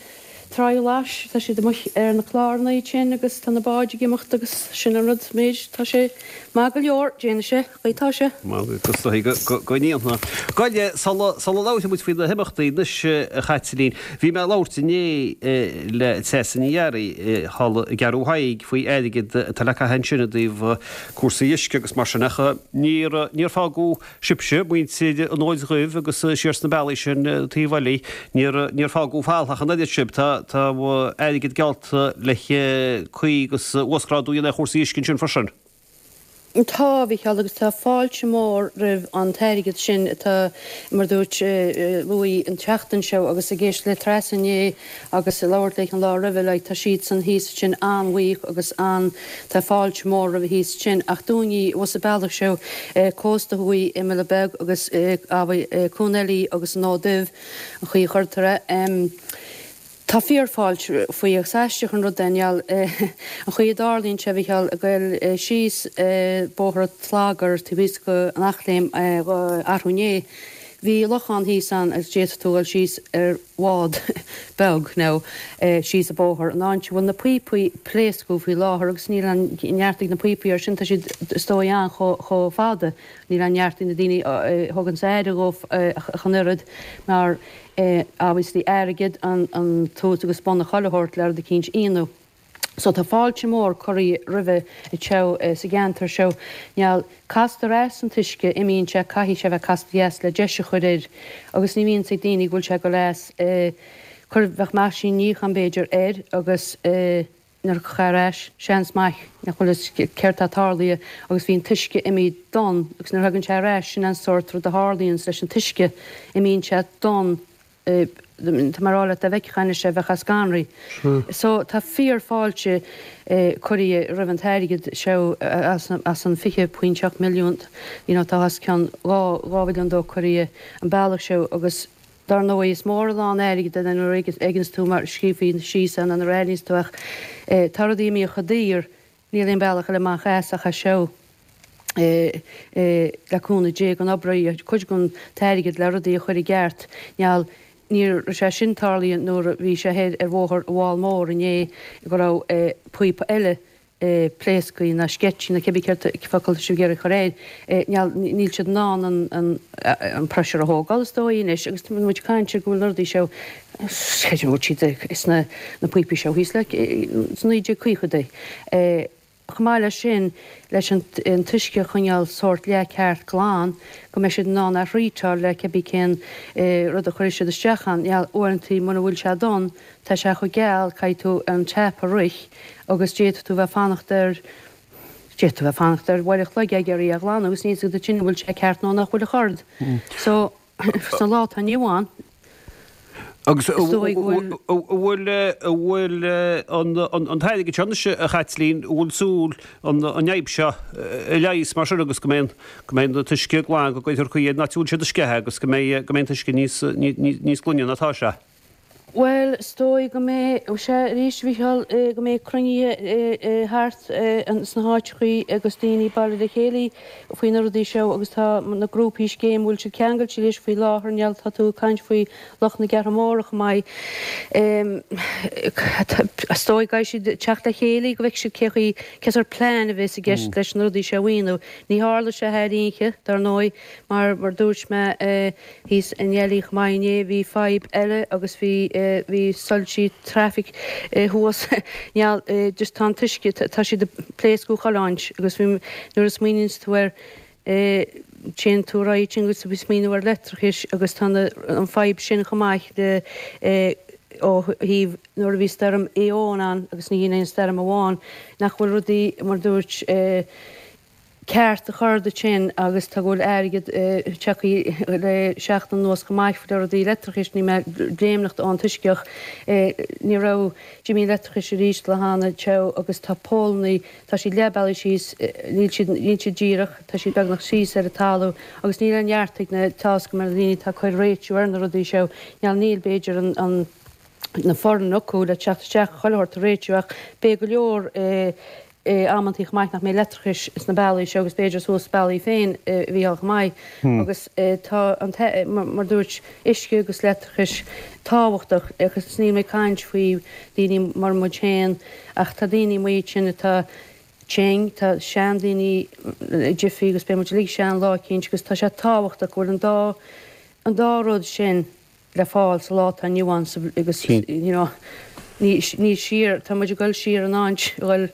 Tráigh Ghlais, tá siad amuigh ar na cláranna ansin agus tá na báid ag imeacht agus sin an rud, méid, tá sé maith go leor, déanfaidh sé, chaoi tá sé. Agus is dóichí go ndéanfaidh. Gabh i leith, sula labhróidh muid faoi na himeachtaí anois, a Chaitlín, bhí mé ag labhairt inné le Treasa Ní Fhearraigh thall i gCeathrú Thaidhg faoi airgead atá le caitheamh ansin i dtaobh cúrsaí uisce agus mar sin ach níor, níor fágadh sibhse, muintir an Fhóid Dhuibh agus siar sna bealaí sin taobh eile, níor, níor fágadh fal ach an oiread sibh. Tá, tá airgead geallta le caoi agus uasghrádú a dhéanamh ar chúrsaí uisce ansin freisin. Tá, a Mhícheáil, agus tá fáilte mhór roimh an t-airgead sin atá, mar a dúirt, luaithe an tseachtain seo agus ag éisteacht le Treasa inné agus ag labhairt léi an lá roimhe, like, tá siadsan thíos ansin an-bhuíoch agus an, tá fáilte mhór roimhe thíos ansin. Ach dúinne abhus an bealach seo, cósta thuaidh, Imill Beag agus Cuan Eilí agus an Fhód Dubh, an chaoi a chuirtear é. Tá fíorfháilte faoi agus aisteach an rud é Niall, an chaoi a dtarlaíonn sé a Mhichíl ag goil síos bóthar an tSlagair taobh thíos go an Eachléim arú inné. Bhí lochán thíos ann agus d'fhéadfadh tú dhul síos ar bhád beag nó síos an bóthar an áit a bhfuil na píopaí pléascadh faoi láthair agus níl an neart ag na píopaí air sin, tá siad is dóigh ann chomh fada, níl an neart ag na daoine a thuganns aire dhóibh ach an oiread mar obviously airgead an tús agus bun a chuile shórt le rud eicínt a dhéanamh. So tá fáilte mór curtha roimhe anseo sa gceantar seo. Niall, castar as an t-uisce, imíonn sé, caithfidh sé bheith casta as le deis a chur air agus ní bhíonns ag daoine go bhfuil sé ag dul as, cuir, bheadh meaisín níocháin b'fhéidir air agus eh, nuair a thiocfá ar ais, seans maith nach bhfuil fhios céard tá tarlaithe agus bhí an t-uisce imithe donn agus nuair a thagann sé ar ais, sin an sórt rud a tharlaíonns leis an t-uisce, imíonn sé donn, tá mé a rá leat dá bhfeicfeá anois é bheifeá scanraithe. So tá fíor fáilte curtha roimh an t-airgead seo as an 20.7 milliún, you know tá os cionn 2 mhilliún dó curtha an bealach seo agus Dar ndóigh, is mór a lán airgid é nuair a fheiceanns tú mar scríofa síos é nó nuair a aithníonns tú ach tá rudaí imithe chomh daor, níl aon bealach eile amach as ach é seo le cúnamh Dé go n-oibreoidh cuid den t-airgead le rudaí a chur i gceart. Niall, ní raibh sé sin tarlaithe nuair a bhí sé thoir ar bhóthar an Mháil Mhór inné go raibh píopa eile pléasctha nó sceitsí nó cibé céard focal atá sibh ag iarraidh a chur air, níl siad in ann an pressure a thógáil is dóigh anois agus tá muid ag caint ar go bhfuil na rudaí seo, creidim go bhfuil siad sna na píopaí seo thíos le sna 1950idí. Chomh maith leis sin, leis an t-uisce a choinneáil sórt leath ceart glan, go mbeidh siad in ann é a threatáil le cibé cén rud a chuirfidh siad isteach ann, uaireanta muna bhfuil sé donn, Tá sé chomh geal, caithfidh tú an tap a rith agus d'fhéadfadh tú bheith fanacht ar, d'fhéadfadh tú bheith fanacht ar uair a chloig ag iarraidh é a ghlanadh agus níl 's agat ansin an bhfuil sé ceart nó nach bhfuil a chord. So, sa lá atá inniu ann, Agus is dóigh go bhfuil. bhfuil, bhfuil an t-airgead seo anois, a Chaitlín, an bhfuil súil an fhadhb seo a leigheas mar sin agus go mbeidh an, go mbeidh an t-uisce glan, go gcuirfear caoi ar an áit a bhfuil siad ag sceitheadh agus go mbeidh, go mbeidh an t-uisce níos, níos glaine ná atá sé? Bhuel, is dóigh go mbeidh sé arís, a Mhichíl, go mbeidh cruinnithe thart sna háiteachaí agus daoine ag bailiú le chéile faoi na rudaí seo agus tá na grúpaí scéim, bhfuil siad ceangailte leis faoi láthair, Niall, tá tú ag caint faoi lucht na gCeathrún Móra chomh maith. Is dóigh go gcaithfidh siad teacht le chéile go bhfeicfidh siad cé chaoi, cén sórt plean a bheas i gceist leis na rudaí seo a mhaoiniú. Ní tharla sé thar oíche, dar ndóigh, mar mar dúirt mé, Thíos i nDeilí chomh maith inné bhí fadhb eile agus bhí bhí soilsí traffic thuas Niall just tá an t-uisce tá siad ag pléascadh chuile áit agus bhí nuair a smaoiníonns tú air téann tú ar aghaidh ansin agus tú ag smaoineamh ar leictreachais agus tá na an fadhb sin chomh maith le ó thaobh nuair a bhí stoirm Éowyn ann agus ní hin aon stoirm amháin nach bhfuil rudaí mar dúirt ceart a chur duit sin agus tá go bhfuil airgead tagtha le seachtain anuas chomh maith le rudaí leictreachais, níl mé ag léimneacht ón t-uisce ach ní raibh d'imigh an leictreachais arís le hana teo agus tá pólannaí, tá siad leath bealaigh síos, níl siad, níl siad díreach, tá siad beagnach síos ar an talamh agus níl aon neart ag na, tá's agam ar na daoine atá ag cur réitiú ar na rudaí seo, níl, níl b'fhéidir an, an. na foireann acu le teacht isteach chuile shórt a réitiú ach beidh go leor amantaí chomh maith nach mbeidh leictreachais sna bealaí seo agus b'fhéidir suas bealaí féin a Mhícheál chomh maith agus tá an mar dúirt uisce agus leictreachais tábhachtach agus níl mé ag caint faoi daoine mar muid féin ach tá daoine amuigh ansin atá tinn, tá seandaoine ag jiffy agus beidh muid uilig sean lá eicínt agus tá sé tábhachtach go bhfuil an dá an dá rud sin le fáil sa lá atá inniu ann agus you know ní ní siar tá muid ag dul siar in áit a dhul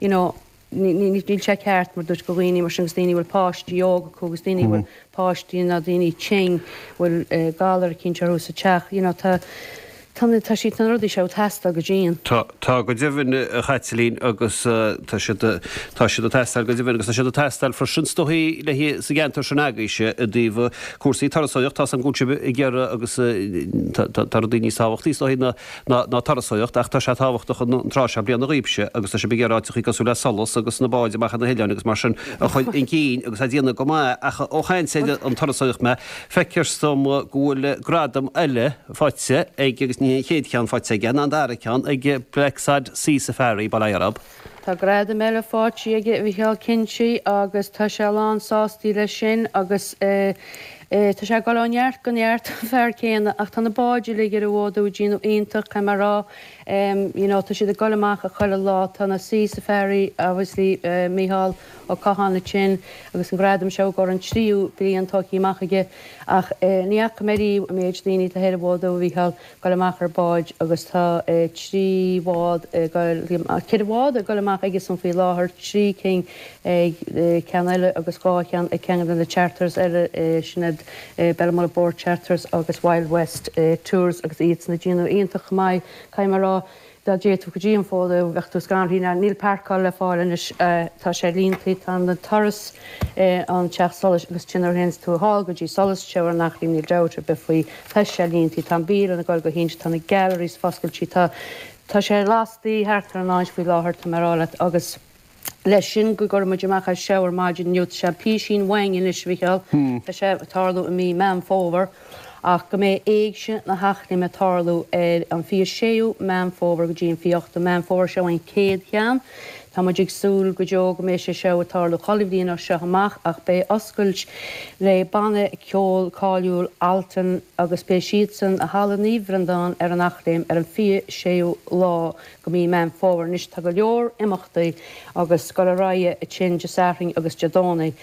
you know ní ní níl sé ceart mar dúirt go dhaoine mar sin agus daoine a bhfuil páistí óga acu agus daoine a bhfuil páistí nó daoine tinn bhfuil galar eicínt orthu sa teach you know tá Tá na, tá siad, tá na rudaí seo ag teastáil go dian. Tá, tá go deimhin, a Chaitlín, agus tá siad, tá siad ag teastáil go deimhin agus tá siad ag teastáil freisin is dóigh le, sa gceantar sin agaibhse i dtaobh cúrsaí turasóireacht, tá's agam go bhfuil sibh ag iarraidh agus tá, tá rudaí níos tábhachtaí is dóigh ná, ná, ná turasóireacht ach tá sé tábhachtach an tráth seo bliana dhaoibhse agus tá sibh ag iarraidh áiteachaí cosúil le Solas agus na báid amach ar na hoileáin agus mar sin a chur chun cinn agus á déanamh go maith ach ó chaint ar an turasóireacht mé, feictear dom go bhfuil gradam eile faighte ag agus ní. Ní hé an chéad cheann faighte aige, ná an dara ceann, ag Blacksod Sea Safari, bail ó Dhia orthub. Tá gradam eile faighte aige, a Mhichíl, cinnte, agus tá sé lán sástaí leis sin agus tá sé ag dul ó neart go neart, an fear céanna, ach tá na báid uilig ar an bhfód ag déanamh iontach, caithfidh mé a rá, you know, tá siad ag dul amach chuile lá, tá na Sea Safari, obviously, Mícheál Ó Catháin ansin agus an gradam seo i gcomhair an tríú bliain tógtha amach aige ach ní fhaca mé riamh an méid daoine atá ar an bhfód a Mhichíl, dul amach ar báid agus tá 3 bhád ag dul, 4 bhád ag dul amach aigesan faoi láthair, 3 cinn ag ceann eile agus 2 cheann ag ceann de na charters eile, sin iad Bellamullet Boat Charters agus Wild West Tours agus iadsan ag déanamh iontach chomh maith, caithfidh mé a rá. Dá dtéadh tú go dtí an fód bheadh tú scanraithe. Níl páirceáil le fáil anois. Tá sé líontaí. Tá an turas an Teach Solais agus ansin nuair a théanns tú thall go dtí Solas Teo ar an Eachléim níl dabht ar bith faoi. Tá sé líontaí. Tá an bialann ag dul go hiontach. Tá na galleries foscailte. Tá tá sé lastaí thart ar an áit faoi láthair tá mé a rá leat agus leis sin go gcuirfidh muid amach as seo ar maidin inniu. Tá sé písín uainn anois, a Mhichíl. Tá sé ag tarlú i mí Meán Fómhair ach go mbeidh Éigse na hEachléime ag tarlú ar an 26ú Meán Fómhair go dtí an 28ú Meán Fómhair. Seo an chéad cheann. Tá muid ag súil go deo go mbeidh sé seo ag tarlú chuile bhliain as seo amach ach beidh oscailt le banna ceoil cáiliúil Altan agus beidh siadsan i Halla Naomh Bhreandán ar an Eachléim ar an 26ú lá go mí Meán Fómhair. Anois tá go leor imeachtaí agus dul ar aghaidh ansin Dé Sathairn agus Dé Domhnaigh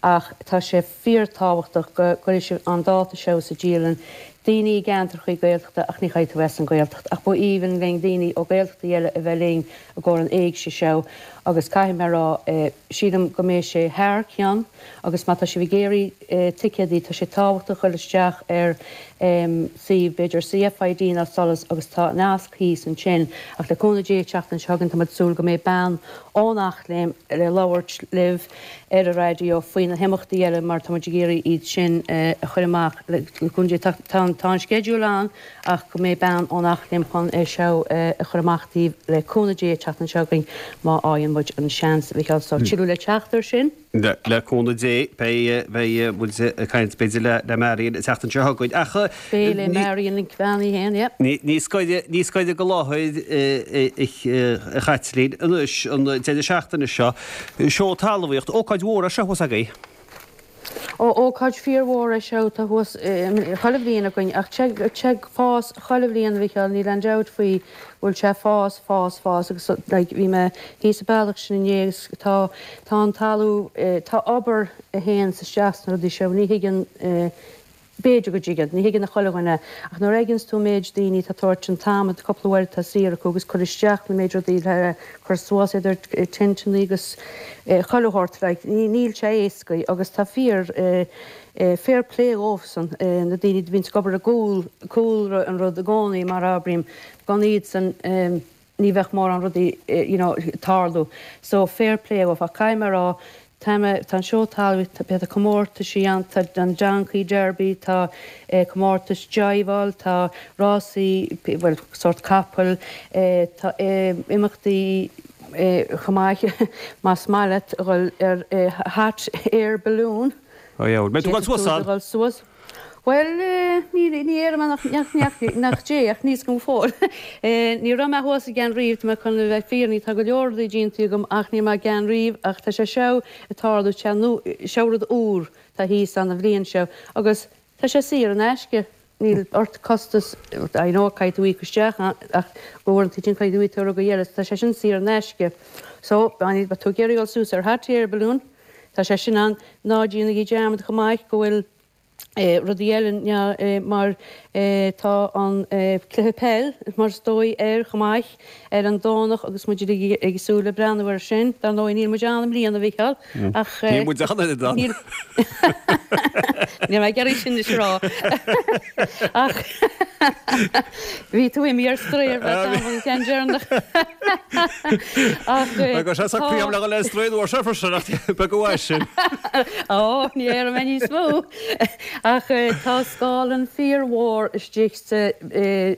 ach tá sé fíor tábhachtach go gcuirfidh sibh an dáta seo sa dialann. Daoine i gceantrachaí Gaeltachta ach ní chaithfidh tú bheith as an Ghaeltacht ach ba aoibhinn linn daoine ó Gaeltachtaí eile a bheith linn i gcomhair an éigse seo agus caithfidh mé a rá sílim go mbeidh sé thar cionn agus má tá sibh ag iarraidh ticéadaí tá sé tábhachtach dul isteach ar suíomh, b'fhéidir CFID nó Solas agus tá nasc thíos ansin. Ach le cúnamh Dé an tseachtain seo chugainn tá muid ag súil go mbeidh bean ón Eachléim le labhairt libh ar an raidió faoi na himeachtaí eile mar tá muid ag iarraidh iad sin a chur amach le cúnamh Dé. Tá an sceideal ann ach go mbeidh bean ón Eachléim chun é seo a chur amach daoibh le cúnamh Dé an tseachtain seo chugainn má fhaigheann muid an seans a Mhichíl. So tuilleadh le teacht ar sin. Le cúnamh Dé, beidh, beidh muid ag caint b'fhéidir le, le Marion an tseachtain seo chugainn. Ach Beidh le Marion Nic Bheannaí féin, yeah. Ní, ní scoirfidh, ní scoirfidh de láthair a Chaitlín anois an deireadh seachtaine seo. Seó talmhaíocht, ócáid mhór é seo thuas agaibh. Ó, ócáid fíormhór é seo atá thuas chuile bhliain againn ach tá sé ag fás chuile bhliain a Mhichíl, níl aon dabht faoi go bhfuil sé ag fás, fás, fás agus like bhí mé thíos sa bealach sin inné agus tá, tá an talamh, tá obair a théanns isteach sna rudaí seo, ní thuigeann, b'fhéidir go dtuigeann, ní thuigeann chuile dhuine ach nuair a fheiceanns tú an méid daoine atá ag tabhairt an t-am, an cúpla uair atá saor acu agus cur isteach na méid rudaí le cur suas idir tinteannaí agus chuile shórt like níl sé éascaí agus tá fíor fair play dhóibhsan na daoine a bhíonns ag obair i gcúl cúlra an rud i gcónaí mar abraím gan iadsan ní bheadh mórán rudaí you know ag tarlú so fair play dhóibh ach caithfidh mé a rá Tá mé, tá an seó talmhaíochta, tá comórtaisí ann, tá an Donkey Derby, tá comórtais jiveáil, tá rásaí, bhuel, sórt capaill, tá imeachtaí chomh maith, más maith leat a dhul ar hot air balloon. Ó yeah, mbeidh tú ag dul suas ann? Dul suas. Bhuel, ní, ní déarfaidh mé nach, nach, nach, nach dté, ach níl a fhios agam go fóill. Ní raibh mé thuas i gceann riamh, tá mé chun a bheith fírinneach, tá go leor rudaí déanta agam ach ní raibh mé i gceann riamh ach tá sé seo ag tarlú, tá nó, seo rud úr tá thíos ann an bhliain seo agus tá sé saor in aisce, níl ort costas, I know caithfidh tú íoc isteach ach uaireanta sin caithfidh tú íoc ar rudaí eile, tá sé sin saor in aisce. So, má tá tú ag iarraidh dul suas ar hot air balloon, tá sé sin ann, ná déanaigí dearmad chomh maith go bhfuil rudaí eile mar tá an cluiche peil mar is dóigh air chomh maith ar an Domhnach agus muid uilig ag súil le breathnú air sin. Dar ndóigh níl muid ann i mbliana, a Mhichíl, ach. Níl muid ann oiread ann. Níl mé ag iarraidh sin anois a rá. Ach bhí tú imithe ar strae ar feadh tamaill an ceann deireanach. Ach Agus tá. Tá le dhul ar strae an uair seo freisin ach beag uaidh sin. Ó, ní déarfaidh mé níos mó. Ach tá scáileán fíormhór istigh sa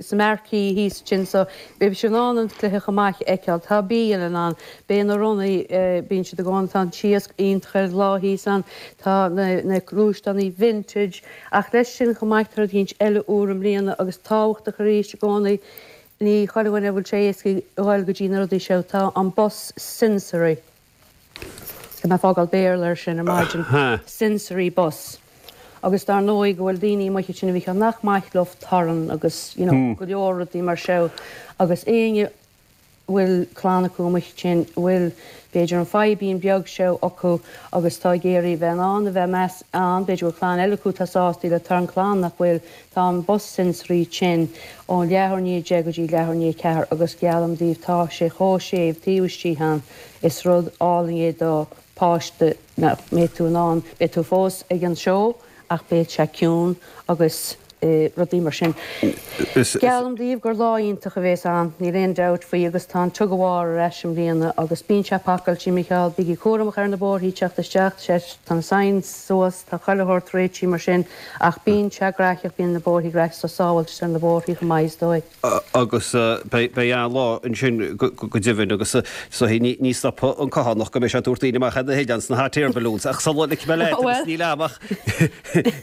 sa marquee thíos ansin so beidh sibh in ann an cluiche chomh maith a fheiceáil. Tá bialann ann, beidh na ronnaí, bíonn siad i gcónaí, tá an t-iasc iontach ar an lá thíos ann, tá na na gluaisteánaí vintage. Ach leis sin chomh maith tá rud eicínt eile úr i mbliana agus tábhachtach arís i gcónaí, ní chuile dhuine a bhfuil sé éasca a dhul go dtí na rudaí seo, tá an bus sensory. Tá mé ag fágáil Béarla ar sin ar maidin. Sensory bus. Agus dar ndóigh go bhfuil daoine amuigh ansin a Mhícheáil nach maith leo torann agus you know go leor rudaí mar seo agus éinne a bhfuil clann acu amuigh ansin a bhfuil b'fhéidir an fadhbín beag seo acu agus tá ag iarraidh bheith in ann a bheith meas ann b'fhéidir go bhfuil clann eile acu atá sásta le torann clann nach bhfuil Tá an bus sensory sin ón leathuair i ndiaidh 10 go dtí leathuair i ndiaidh 4 agus geallaim daoibh tá sé chomh séimh taobh istigh ann is rud álainn é do páiste nach mbeidh tú in ann, beidh tú fós ag an seó ach beidh sé ciúin agus rudaí mar sin. Geallaim daoibh gur lá iontach a bhéas ann, níl aon dabht faoi agus tá an tug of war ar ais i mbliana agus bíonn sé pacáilte, Micheál, bígí cúramach ar na bóithrí teacht isteach, tá na signs suas, tá chuile shórt réitithe mar sin ach bíonn sé graitheach, bíonn na bóithrí graitheach so sábháilteacht ar na bóithrí chomh maith is dóigh. Agus beidh an-lá ansin go deimhin agus is dóigh ní stopfaidh an Cathánach go mbeidh sé ag tabhairt daoine amach ar na hoileáin sna hot air balloons ach sula ligfidh mé leat agus níl am ach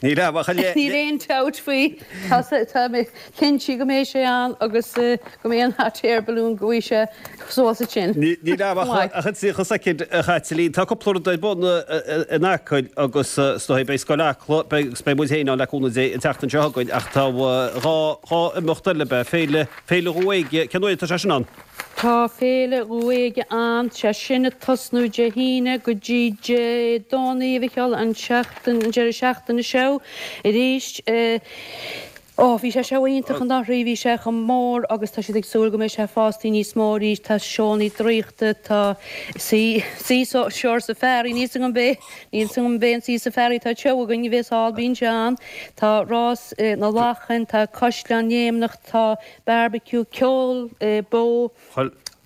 níl am ach a leith. Níl aon dabht faoi, tá mé cinnte go mbeidh sé ann agus go mbeidh an hot air balloon go bhfaighidh sé suas ansin. Níl am ach an 30 soicind a Chaitlín. Tá cúpla rud ar bun in Acaill agus is dóigh beidh Scoil Acla, beidh agus beidh muid féin ann le cúnamh Dé an tseachtain seo chugainn ach tá dhá dhá imeacht eile, beidh Féile, Féile Dhumha Éige, cén uair atá sé sin ann? Tá Féile Dhumha Éige ann, sé sin ag tosnú Dé hAoine go dtí Dé Domhnaigh a Mhicheáil, an seachtain, an deireadh seachtaine seo arís. Ó, bhí sé seo iontach anuraidh, bhí sé chomh mór agus tá siad ag súil go mbeidh sé fostaí níos mó arís, tá seónnaí draíochta, tá sea, sea shore safari, níl 's agam b'é, níl 's agam b'é an sea safari atá anseo againn a bhéas thall, bíonn sé ann, tá rás na lachan, tá caisleán léimneach, tá barbecue, ceol beo.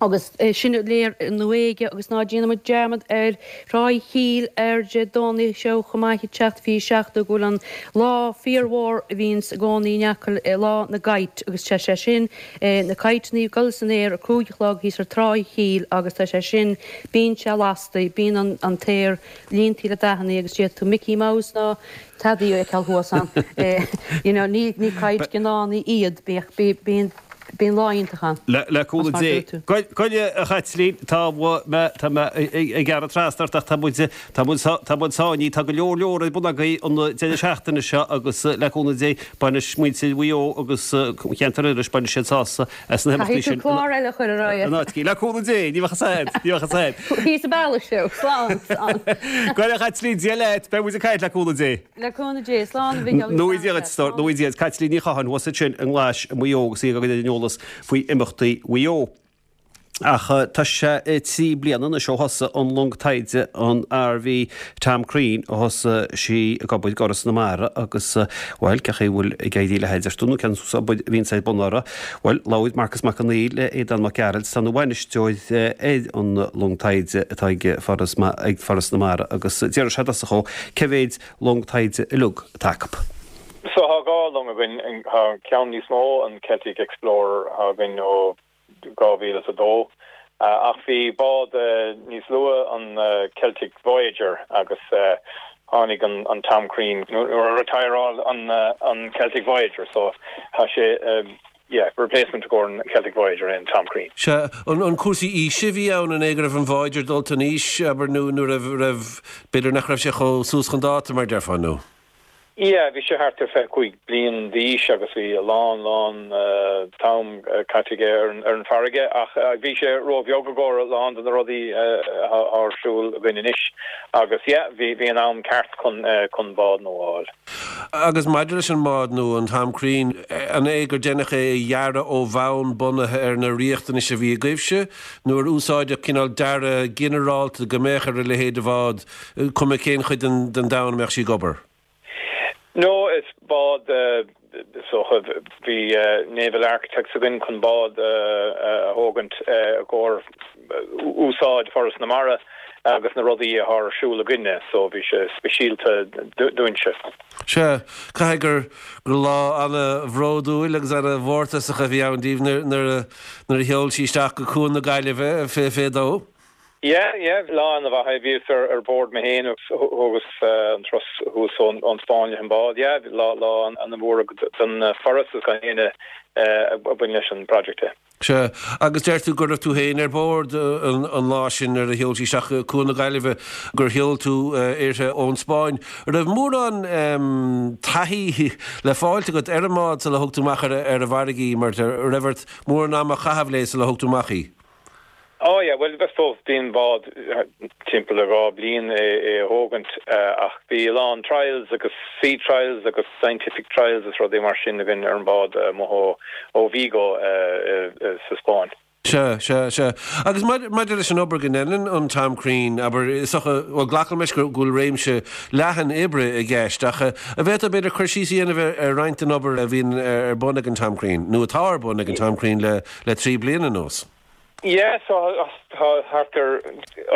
Agus sin léir i nDumha Éige agus ná déanfaidh muid dearmad ar Thráigh Chíll ar Dé Domhnaigh seo chomh maith ag teacht faoi 7 go bhfuil an lá fíormhór a bhíonns i gcónaí in Acaill, lá na gcite agus tá sé sin, na citeannaí ag dul san aer a 5 a chlog thíos ar Tráigh Chíll agus tá sé sin, bíonn sé lasta, bíonn an t-aer líontaí le dathannaí agus d'fhéadfadh tú Mickey Mouse ná Tadaí a fheiceáil thuas ann. You know, ní kite gnáthach iad, bíonn, bíonn lá iontach ann. Le cúnamh Dé. Goile, a Chaitlín, tá mé, tá mé ag gearradh trasna ort ach tá muid, tá muid, tá muid sáinnithe, tá go leor leor ar bun agaibh an deireadh seachtaine seo agus le cúnamh Dé bainfidh muintir Mhaigh Eo agus cheantar Iorrais, bainfidh siad sásamh as na himeachtaí Caithfidh tú sin. clár eile a chur ar aghaidh. In áit, le cúnamh Dé, ní bheadh a fhios a'd, ní bheadh a fhios a'd. Thíos an bealach seo, slán, slán. Goile, a Chaitlín, Dia leat, beidh muid ag caint le cúnamh Dé. Le cúnamh Dé, slán a Mhichíl agus Nó Dia duit, slán Dia duit. Caitlín Ní Chatháin thuas ansin i nGlais i Maigh Eo agus í ag cur ar an eolas faoi imeachtaí Mhaigh Eo. Ach tá sé 3 bliana anois ó thosaigh an long taighde an RV Tom Crean ó thosaigh sí ag obair d'Fhoras na Mara agus, bhuel, cén chaoi a bhfuil ag éirí léi a deir tú nó cén obair a bhíonns ar bun uirthi? Bhuel, labhair Marcas Mac Conghail le Aodán Mac Gearailt, atá ina bhainisteoir ar an long taighde atá ag Foras ag Foras na Mara agus d'iarr sé i dtosach dhó cé mhéid long taighde uilig atá acu. So tá dhá long againn, tá ceann níos mó, an Celtic Explorer, atá againn ó 2002. Ach bhí bád níos luaithe, an Celtic Voyager, agus tháinig an Tom Crean nuair a retireáil an Celtic Voyager so tá sé yeah replacement i gcomhair an Celtic Voyager é an Tom Crean. Sea, an cúrsaí aoise a bhí ann, an é go raibh an Voyager dulta in aois, abair, nó nó raibh, raibh, b'fhéidir nach raibh sé chomh suas chun dáta mar déarfá, nó? Yeah, bhí sé thart ar 25 bliain d'aois agus bhí a lán, lán t-am caite aige ar an farraige ach bhí sé ró-bheag i gcomhair a lán de na rudaí atá ar siúl againn anois agus yeah, bhí, bhí an am ceart chun, chun bád nua a fháil. Agus maidir leis an mbád nua, an Tom Crean, an é gur deineadh é a dhearadh ó bhonn bunaithe ar na riachtanais a bhí agaibhse nó ar úsáideadh cineál dearadh ginearálta go mbeadh ar a leithéid de bhád Cuma cén chuid den domhan a mbeadh sí ag obair. No, is bád is dócha, bhí Naval Architects againn chun bád a thógaint i gcomhair úsáid Foras na Mara. agus na rudaí atá ar siúl againne so bhí sé speisialta dúinnse. Sea, caithfidh gur gur lá ana-bhródúil agus ana-mhórtasach a bhí ann daoibh nuair a nuair a sheol sí isteach go Cuan na Gaillimhe fé dó. Yeah, yeah, lá ana-mhaith é. Bhíos ar ar bord mé féin agus thógas an turas thuas ón ón Spáinn leis an bád. Yeah, lá lá ana-mhór don Foras agus don éinne a bhain leis an project é. Sea, agus deir tú go raibh tú féin ar bord an lá sin nuair a sheol sí isteach go Cuan na Gaillimhe, gur sheol tú uirthi ón Spáinn. An raibh mórán taithí le fáilt agat ar an mbád sula thug tú amach ar an bhfarraige í, mar an raibh ort mórán ama a chaitheamh léi sula thug tú amach í? Oh yeah, bhuel, I suppose bíonn bád timpeall le 2 bliain é a thógaint ach bhí a lán trials agus sea trials agus scientific trials is rudaí mar sin againn ar an bád amuigh ó Vigo sa Spáinn. Sea, sea, sea. Agus maidir leis an obair go ndeineann an Tom Crean, abair, is dócha, bhuel, glacaim leis go bhfuil réimse leathan oibre i gceist ach an bhféadfá b'fhéidir cur síos a dhéanamh ar roinnt den obair a bhíonn ar bun ag an Tom Crean, nó atá ar bun ag an Tom Crean le le 3 bliana anuas. Yeah, so tá thart ar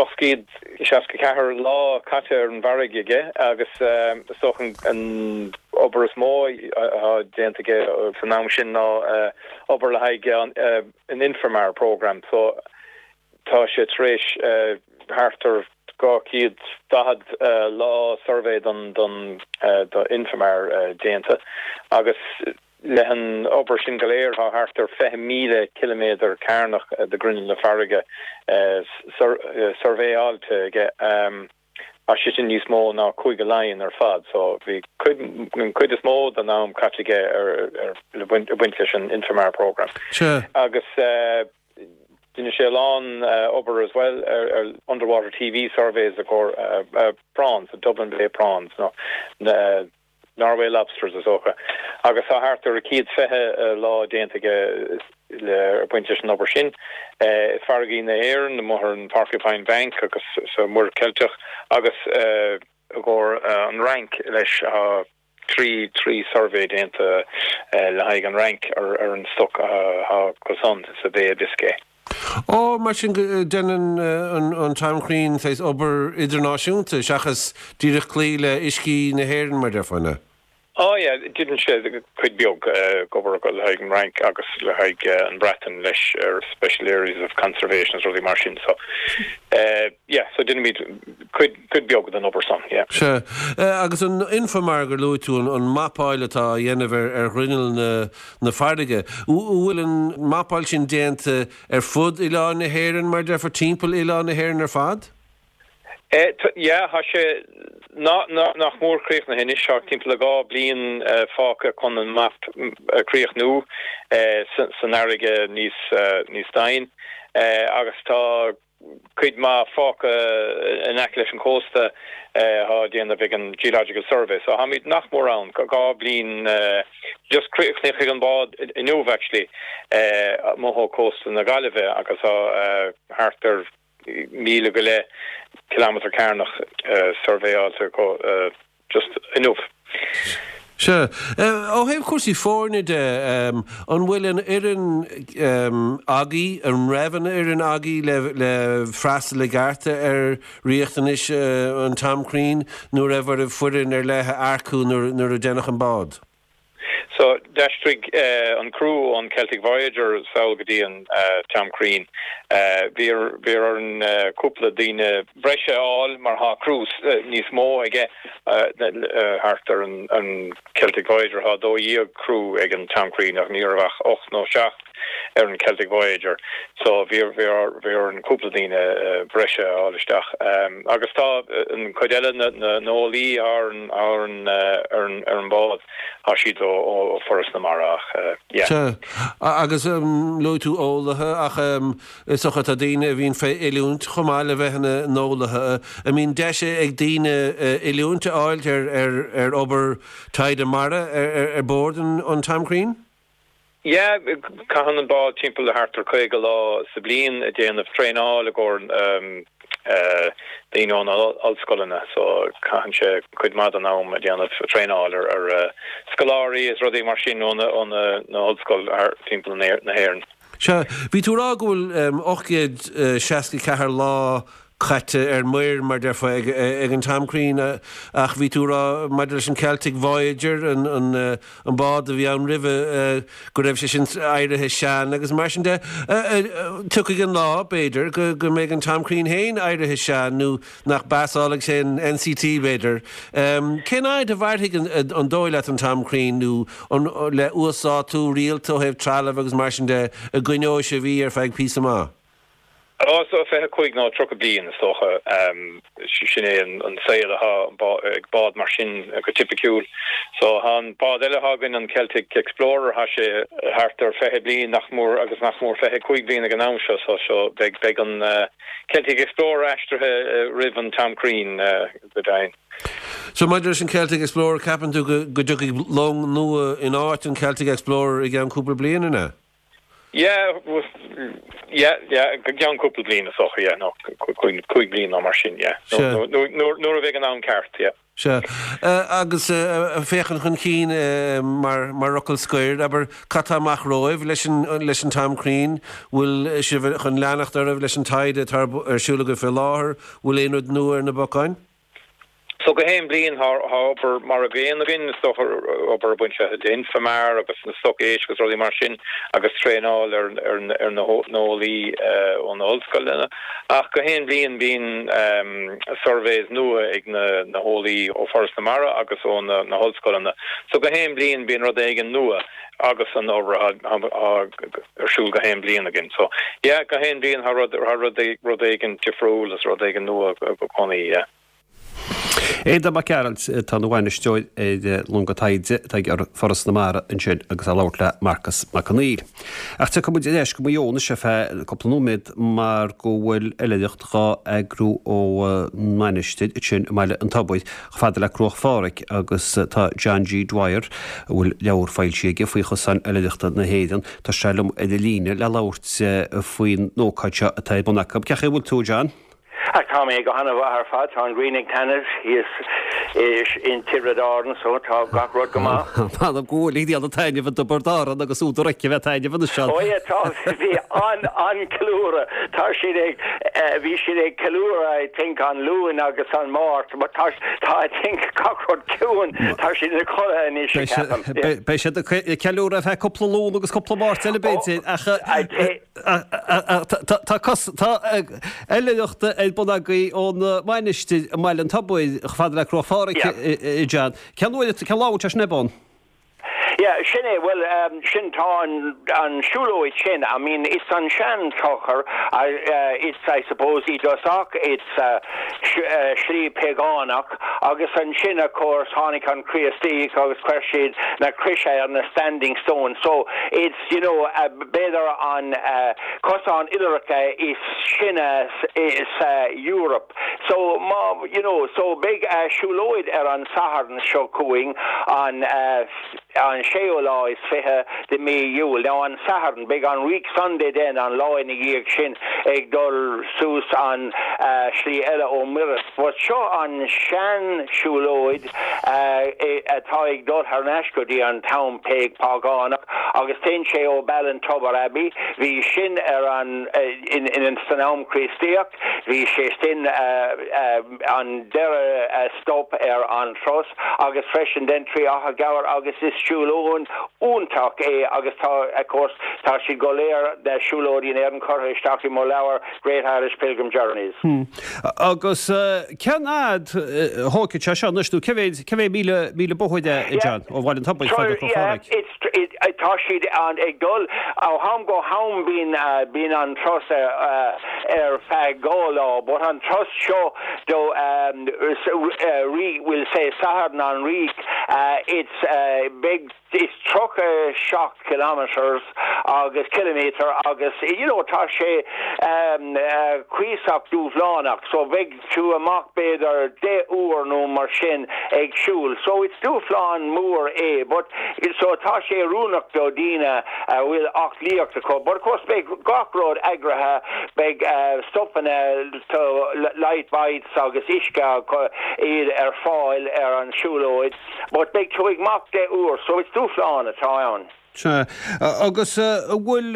864 lá caite ar an bhfarraige aige agus is dócha an obair is mó atá déanta aige san am sin ná obair le haghaidh an Infomar programme. So tá sé tar éis thart ar 240 lá suirbhé don don do Infomar déanta agus Leis an obair sin go léir, tá thart ar 20,000 ciliméadar cearnach de ghrinneall na farraige suirbhéáilte aige. Tá sé sin níos mó ná Cúige Laighean ar fad, so bhí cuid, an chuid is mó den am caite aige ar, le baint leis an Infomar programme. Agus rinne sé a lán obair as well ar underwater TV surveys i gcomhair prawns, Dublin Bay prawns, nó na Norway lobsters is dócha, agus tá thart ar 120 lá déanta aige le baint leis an obair sin. I farraigí na hÉireann, amuigh ar an Porcupine Bank agus sa Mhuir Cheilteach agus i gcomhair an Fhrainc leis tá 3 trí suirbhé déanta le haghaidh an Fhrainc ar an stoc atá acusan sa Bay of Biscay. Ó, mar sin déanann an Tom Crean saghas obair idirnáisiúnta seachas díreach cloí le uiscí na hÉireann, mar déarfá, an ea? Ó yeah, déanann sé cuid beag obair le haghaidh an Fhrainc agus le haghaidh an Bhreatain leis ar special areas of conservation is rudaí mar sin so yeah, so déanaimid cuid cuid beag den obair san, yeah. Sea. Agus an Infomar gur luaigh tú, an mapáil atá á dhéanamh ar ghrinneall na na farraige. An bhfuil an mapáil sin déanta ar fud oileán na hÉireann, mar déarfá, timpeall oileán na hÉireann ar fad? Yeah, tá sé nach mór críochnaithe anois. Tá timpeall le 2 bliain fágtha chun an map a chríochnú san fharraige níos níos doimhne agus tá cuid maith fágtha in aice leis an chósta atá á déanamh ag an Geological Survey. So táimid nach mór ann, 2 bliain, just chríochnaigh an bád inniu actually amuigh ó cósta na Gaillimhe agus tá thart ar mhíle go leith kilometre cearnach suirbhéáilte acu. Just inniu. Sea. Ó thaobh cúrsaí foirne de, an bhfuil an fhoireann agaibh, an raibh an fhoireann agaibh le le freastal i gceart ar riachtanais an Tom Crean nó raibh oraibh foireann ar leith a earcú nuair nuair a deineadh an bád? So, d'aistrigh an criú ón Celtic Voyager sall go dtí an Tom Crean. Bhí bhí orainn cúpla daoine breise a fháil mar tá criú níos mó aige thart ar an Celtic Voyager. Tá 12 criú ag an Tom Crean ach ní raibh ach 8 nó 7 ar an Celtic Voyager. So, bhí bhí bhí orainn cúpla daoine breise a fháil isteach. Agus tá an chuid eile na na n-eolaí ar an ar an ar an ar an bhád. Tá siad ó Foras na Mara ach yeah. Sea. Agus luaigh tú eolaithe ach is dócha tá daoine a bhíonn fé oiliúint chomh maith le bheith ina n-eolaithe. An mbíonn deis ag daoine oiliúint a fháilt ar obair taighde mara ar bord an Tom Crean? Yeah, caitheann an bád timpeall le thart ar 50 lá sa bliain ag déanamh traenáil i gcomhair daoine ó na ollscoileanna so caitheann sé cuid maith den am ag déanamh traenáil ar scoláirí is rudaí mar sin ó na hollscoil thar timpeall na hÉireann. Sea, bhí tú ag rá go bhfuil 864 lá. caite ar muir, mar déarfá, ag an Tom Crean ach bhí tú ag rá maidir leis an Celtic Voyager, an an bád a bhí ann roimhe, go raibh sé sin éirithe sean agus mar sin de. Tiocfaidh an lá, b'fhéidir, go mbeidh an Tom Crean féin éirithe sean nó nach bpasálfaidh sé an NCT, b'fhéidir. Cén fhad a mhairfidh an dóigh leat an Tom Crean nó an le uasdátú rialta ó thaobh trealaimh agus mar sin de a gcoinneoidh sibh í ar feadh píosa maith? Ó, so 25 nó 30 bliain is dócha. Sin é an saol atá ag bád mar sin go tipiciúil. So tá an bád eile atá againn, an Celtic Explorer, tá sé thart ar 20 bliain nach mór agus nach mór 25 bliain ag an am seo. So so beidh beidh an Celtic Explorer aistrithe roimh an Tom Crean go deimhin. So maidir leis an Celtic Explorer, ceapann tú go go dtiocfaidh long nua in áit an Celtic Explorer i gceann cúpla bliain, an ea? Yeah, yeah, yeah, go gceann cúpla bliain is dócha, yeah, nó 5 bliain nó mar sin, yeah. Sea. Nuair a bheidh an am ceart, yeah. Sea. Agus féachaint chun cinn mar mar fhocal scoir, abair, cad tá amach romhaibh leis an leis an Tom Crean? Bhfuil sibh chun leanacht oraibh leis an taighde atá ar siúl agaibh fé láthair? Bhfuil aon rud nua ar na bacáin? So gach aon bhliain tá obair mar an gcéanna againn, is dócha, obair ag baint le Infomar agus na stoc éisc agus rudaí mar sin agus traenáil ar ar na heolaí ó na hollscoileanna. Ach gach aon bhliain bíonn surveys nua ag na heolaí ó Foras na Mara agus ó na hollscoileanna. So gach aon bhliain bíonn rud éigin nua agus an obair atá ar siúl gach aon bhliain againn. So yeah, gach aon bhliain tá rud rud éigin difriúil agus rud éigin nua i gcónaí, yeah. Aodán Mac Gearailt atá ina bhainisteoir ar longa taighde atá ag Foras na Mara ansin agus é ag labhairt le Marcas Mac Conghail. Ach tiocfaidh muid ar ais go Maigh Eo anois ar feadh cúpla nóiméad mar go bhfuil oilithreacht dhá eagrú ó mhainistir ansin i mBaile an Tobair chomh fada le Cruach Phádraig agus tá John G. Dwyer, a bhfuil leabhar foilsithe aige faoi chosáin oilithreachta na hÉireann, tá sé liom ar an líne le labhairt faoin ócáid seo atá ar bun acu. Cén chaoi a bhfuil tú, a John? Ach tá mé go han-mhaith ar fad. Tá an ghrian ag taitneamh thíos in Tiobraid Árann so tá gach rud go maith. M'anam go bhfuil ag déanamh taitneamh i dTiobraid Árann agus údar aici a bheith ag taitneamh anois ann. Ó yeah, tá, bhí an-cheiliúradh. Tá siad ag, bhí siad ag ceiliúradh I think an Luan agus an Máirt but tá, tá I think gach rud ciúin, tá siad ina codladh anois ceapaim. Beidh siad ag ceiliúradh ar feadh cúpla Luan agus cúpla Máirt eile b'fhéidir ach Tá cos, tá oilithreacht ar bun agaibh ón Mainistir i mBaile an Tobair chomh fada le Cruach Phádraig, a John. Cén uair, cén lá a bhfuil sé sin ar bun? Yeah, sin é, bhuel, sin, tá an, an siúlóid sin, I mean, it's an sean-clochar, it's, I suppose, i dtosach, it's slí pagánach agus ansin, of course, tháinig an Chríostaíocht agus chuir siad na croise ar na standing stones, so it's, you know, b'fhéidir an cosán oilithreachta is sine sa Eoraip. So má, you know, so beidh siúlóid ar an Satharn seo chugainn, an an séú lá is 20 de mí Iúil. Now an Satharn, beidh an Reek Sunday then, an lá ina dhiaidh sin, ag dul suas an slí eile ó Mhuiris. But seo an sean siúlóid atá ag dul thar n-ais go dtí an t-am págánach agus téann sé ó Ballintubber Abbey, bhí sin ar an in san am Críostaíocht, bhí sé sin an deireadh stop ar an turas agus freisin then trí Achadh Gabhair agus is siúlóid iontach é agus tá of course tá siad go léir na siúlóidí in Éirinn curtha isteach i mo leabhar Great Irish Pilgrim Journeys. Agus cén fhad a thógfaidh sé seo anois nó cé mhéad, cé mhéad míle, míle bóthair é, a John, ó Bhaile an Tobair fada go Yeah, it's, tá siad ag dul ó ham go ham bíonn, bíonn an turas ar feadh dhá lá but an turas seo do we'll say Satharn an Reek, it's beidh It's 37 kilometres agus ciliméadar agus you know tá sé cuíosach dúshlánach so beidh tú amach b'fhéidir 10 uair nó mar sin ag siúl so it's dúshlán mór é but so tá sé oiriúnach do daoine a bhfuil aclaíocht acu but of course beidh gach rud eagraithe beidh stopanna to light bites agus uisce iad ar fáil ar an siúlóid. But beidh tú amach 10 uair, so is dúshlán atá ann. Sea. Agus an bhfuil,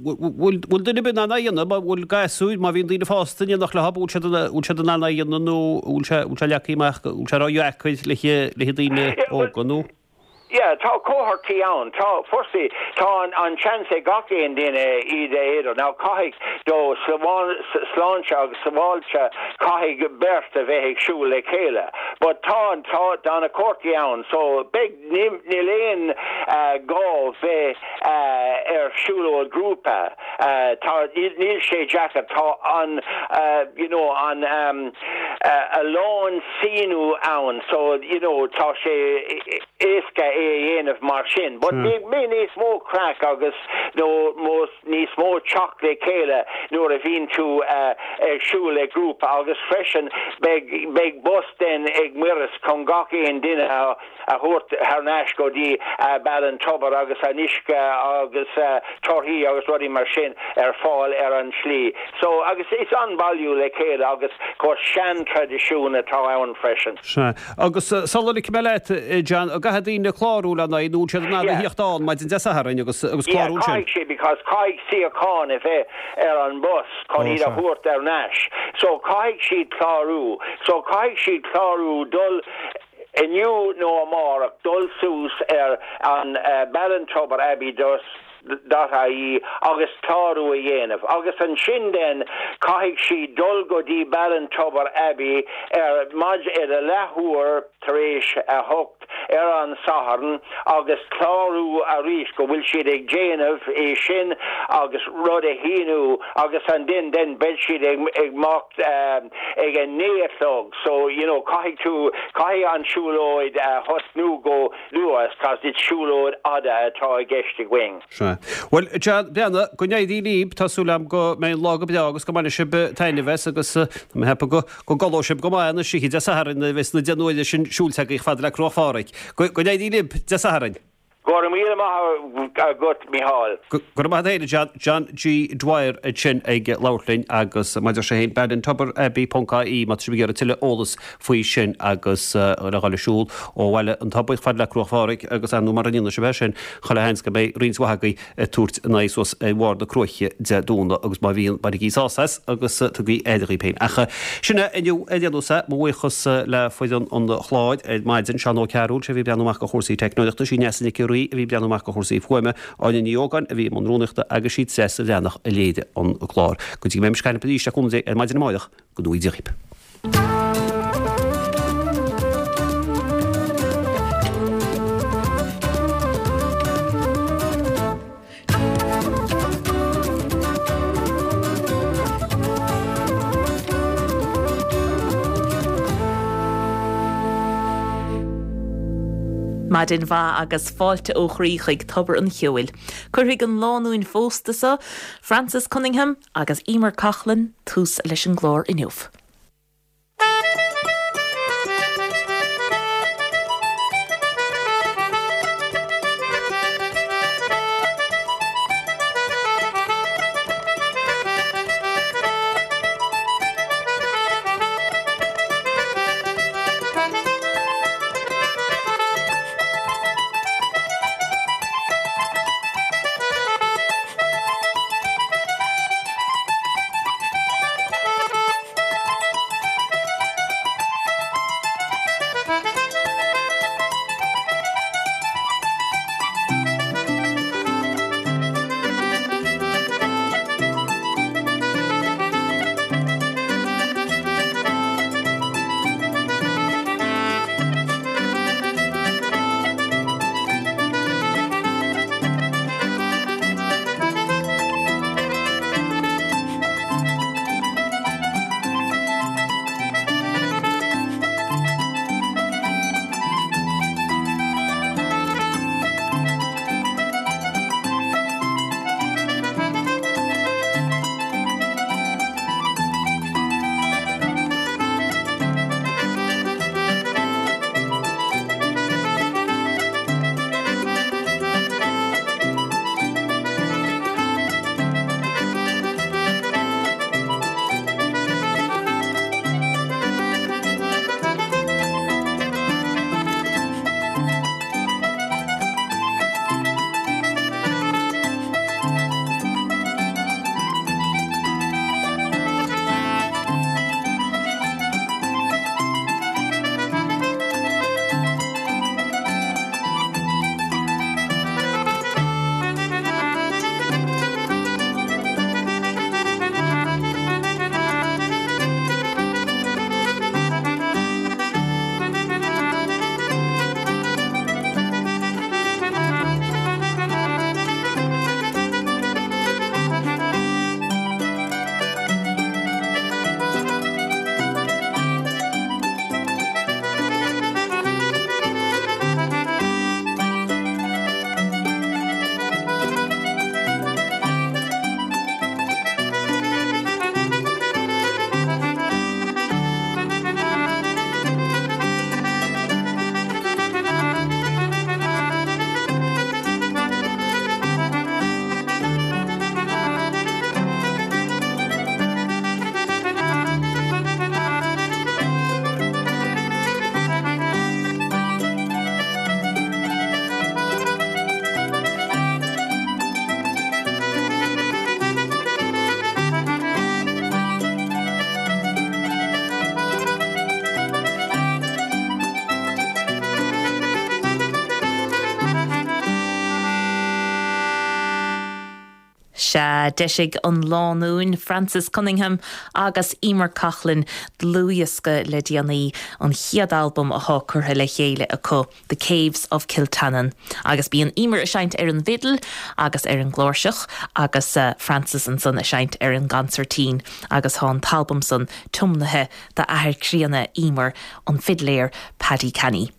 bhfuil, bhfuil duine ar bith in ann é a dhéanamh, an bhfuil gasúir, má bhíonn daoine fásta in éineacht leo, bhfuil siad, bhfuil siad in ann é a dhéanamh nó bhfuil sé, bhfuil sé leagtha amach, bhfuil sé ródheacair le, le daoine óga nó? Yeah, tá cohortaí ann. Tá, firstly, tá an, an seans ag gach aon duine iad a éadar. Now, caithfidh, do sláinte agus sabháilte, caithfidh beirt a bheith ag siúl le chéile. But tá an, tá, tá na cohortaí ann, so beidh, níl, níl aon gá bheith ar siúlóid grúpa. Tá, níl, níl sé deacair. Tá an, you know, an, a lán síniú ann so you know tá sé éasca é a dhéanamh mar sin but beidh níos mó craic agus nó níos mó teacht le chéile nuair a bhíonn tú ag siúl le grúpa agus freisin beidh beidh bus then ag Muiris chun gach aon duine a a thabhairt thar n-ais go dtí Ballintubber agus an uisce agus torthaí agus rudaí mar sin ar fáil ar an tslí. So, agus is an-bhailiú le chéile agus of course sean-traidisiún atá ann freisin. Sea. Agus sula ligfidh mé leat, John, an gcaithfidh daoine clárú lena aghaidh nó bhfuil siad in ann a Yeah. thíocht ann maidin Dé Sathairn agus agus Yeah, clárú ansin? caithfidh siad because caithfidh suíochán a bheith ar an bus chun Ó, iad a sea. thabhairt thar n-ais. So caithfidh siad clárú. So caithfidh siad clárú dul inniu nó amárach dul suas ar an ballintubber dot ie agus clárú a dhéanamh agus ansin then caithfidh siad dul go dtí Ballintubber Abbey ar maidin ar a leathuair tar éis a hocht ar an Satharn agus clárú arís go bhfuil siad ag déanamh é sin agus rud a shíniú agus ansin then beidh siad ag imeacht ag a 9 a chlog so you know caithfidh tú caithfidh an siúlóid a thosnú go luath cos is siúlóid fhada atá i gceist againn. Sea. Bhuel, John Breathnach, go n-éirí libh, tá súil agam go mbeidh an lá go breá agus go mbainfidh sibh taitneamh as agus tá mé ag ceapadh go go gcodlóidh sibh go maith anois oíche Dé Sathairn nuair a bheas na deich n-uaire sin siúilte agaibh chomh fada le Cruach Phádraig. Go go n-éirí libh Dé Sathairn. Go raibh míle maith agat, Micheál. Go raibh maith agat féin, a John. John G. Dwyer ansin ag labhairt linn agus mar a deir sé féin, ballintubber-abbey ponc ie má tá sibh ag iarraidh tuilleadh eolas faoi sin agus le dhul ag siúl ó Bhaile an Tobair chomh fada le Cruach Phádraig agus ar ndóigh mura ndéanfaidh sibh é sin, chuile sheans go mbeidh roinnt mhaith agaibh ag tabhairt a n-aghaidh suas ar bharr na cruaiche Dé Domhnaigh agus má bhíonn, bainigí sásamh as agus tugaigí aire dhaoibh féin. Ach sin é inniu ar aon nós é. Mo bhuíochas le foireann an chláir ar maidin, Seán Ó Cearúil, sé a bhí ag breathnú amach do chúrsaí teicneolaíochta, sí Neasa Nic an Rí a bhí ag breathnú amach do chúrsaí fuaime, Áine Ní Ógáin a bhí i mbun rúnaíochta agus sí Treasa Bhreathnach a léirigh an clár. Go dtí go mbeidh mise ag caint libh arís le cúnamh Dé ar maidin amáireach, go ngnóthaí Dia dhaoibh. Maidin mhaith agus fáilte ó chroí chuig Tobar an Cheoil. Cuirfidh an lánúin phósta seo, Frances Cunningham agus Emer Coughlan, tús leis an gclár inniu. D'eisigh an lánúin Frances Cunningham agus Emer Coughlan dlúthdhiosca le déanaí, an chéad albam athá curtha le chéile acu, The Caves of Kiltannon. Agus bíonn Emer ag seinnt ar an bhfidil agus ar an gcláirseach agus Frances ansan ag seinnt ar an gconsairtín agus thá an t-albam san tiomnaithe d'athair críonna Emer, an fidléir Paddy Canny.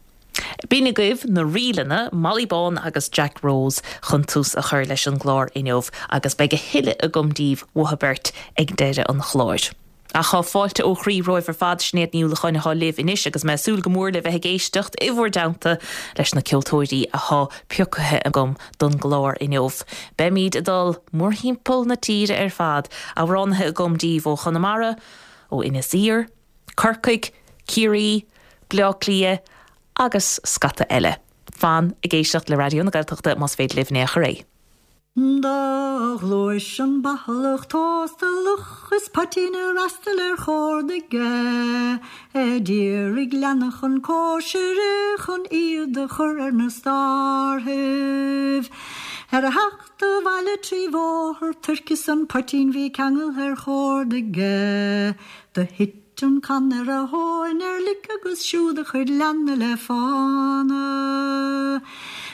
B'in agaibh na ríleanna, Molly Bán agus Jack Rose chun tús a chur leis an gclár inniu agus beidh a thuilleadh agam daoibh uathu beirt ag deireadh an chláir. Ach tá fáilte ó chroí romhaibh ar fad, Sinéad Ní Uallacháin atá libh anois agus mé ag súil go mór le bheith ag éisteacht i bhur dteannta leis na ceoltóirí athá pioctha agam don gclár inniu. Beimid ag dul mórthimpeall na tíre ar fad, amhránaithe agam daoibh ó Chonamara, ó Inis Oírr, Corcaigh, Ciarraí, Bleá Cliath agus scata eile. Fan ag éisteacht le Raidió na Gaeltachta más féidir libh in aon chor é. Do ghluais an bathalach tóstalach is poitín a fhreastal ar chórd aige a d'iarraidh leanna chun cóisire chun iad a chur ar na stárthaibh. Ar a theacht abhaile tri bhóthar Tuirc is an poitín bhí ceangaltha ar chórd aige. Do thuit an canna ar a thóin ar lic agus siúd a chuid leanna le fána.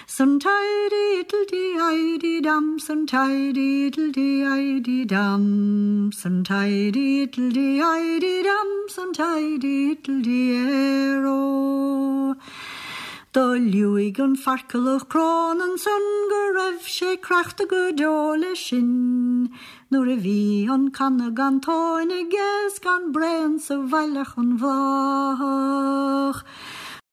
Sun tidy ittle dee idee dam, sun tidy ittle dee idee dam, sun tidy ittle dee idee dam, sun tidy ittle dee aero. Do liúigh an farcalach crón ansan go raibh sé creachta go deo leis sin nuair a bhí an canna gan tóin aige 's gan braon sa bhaile ach an bhláthach.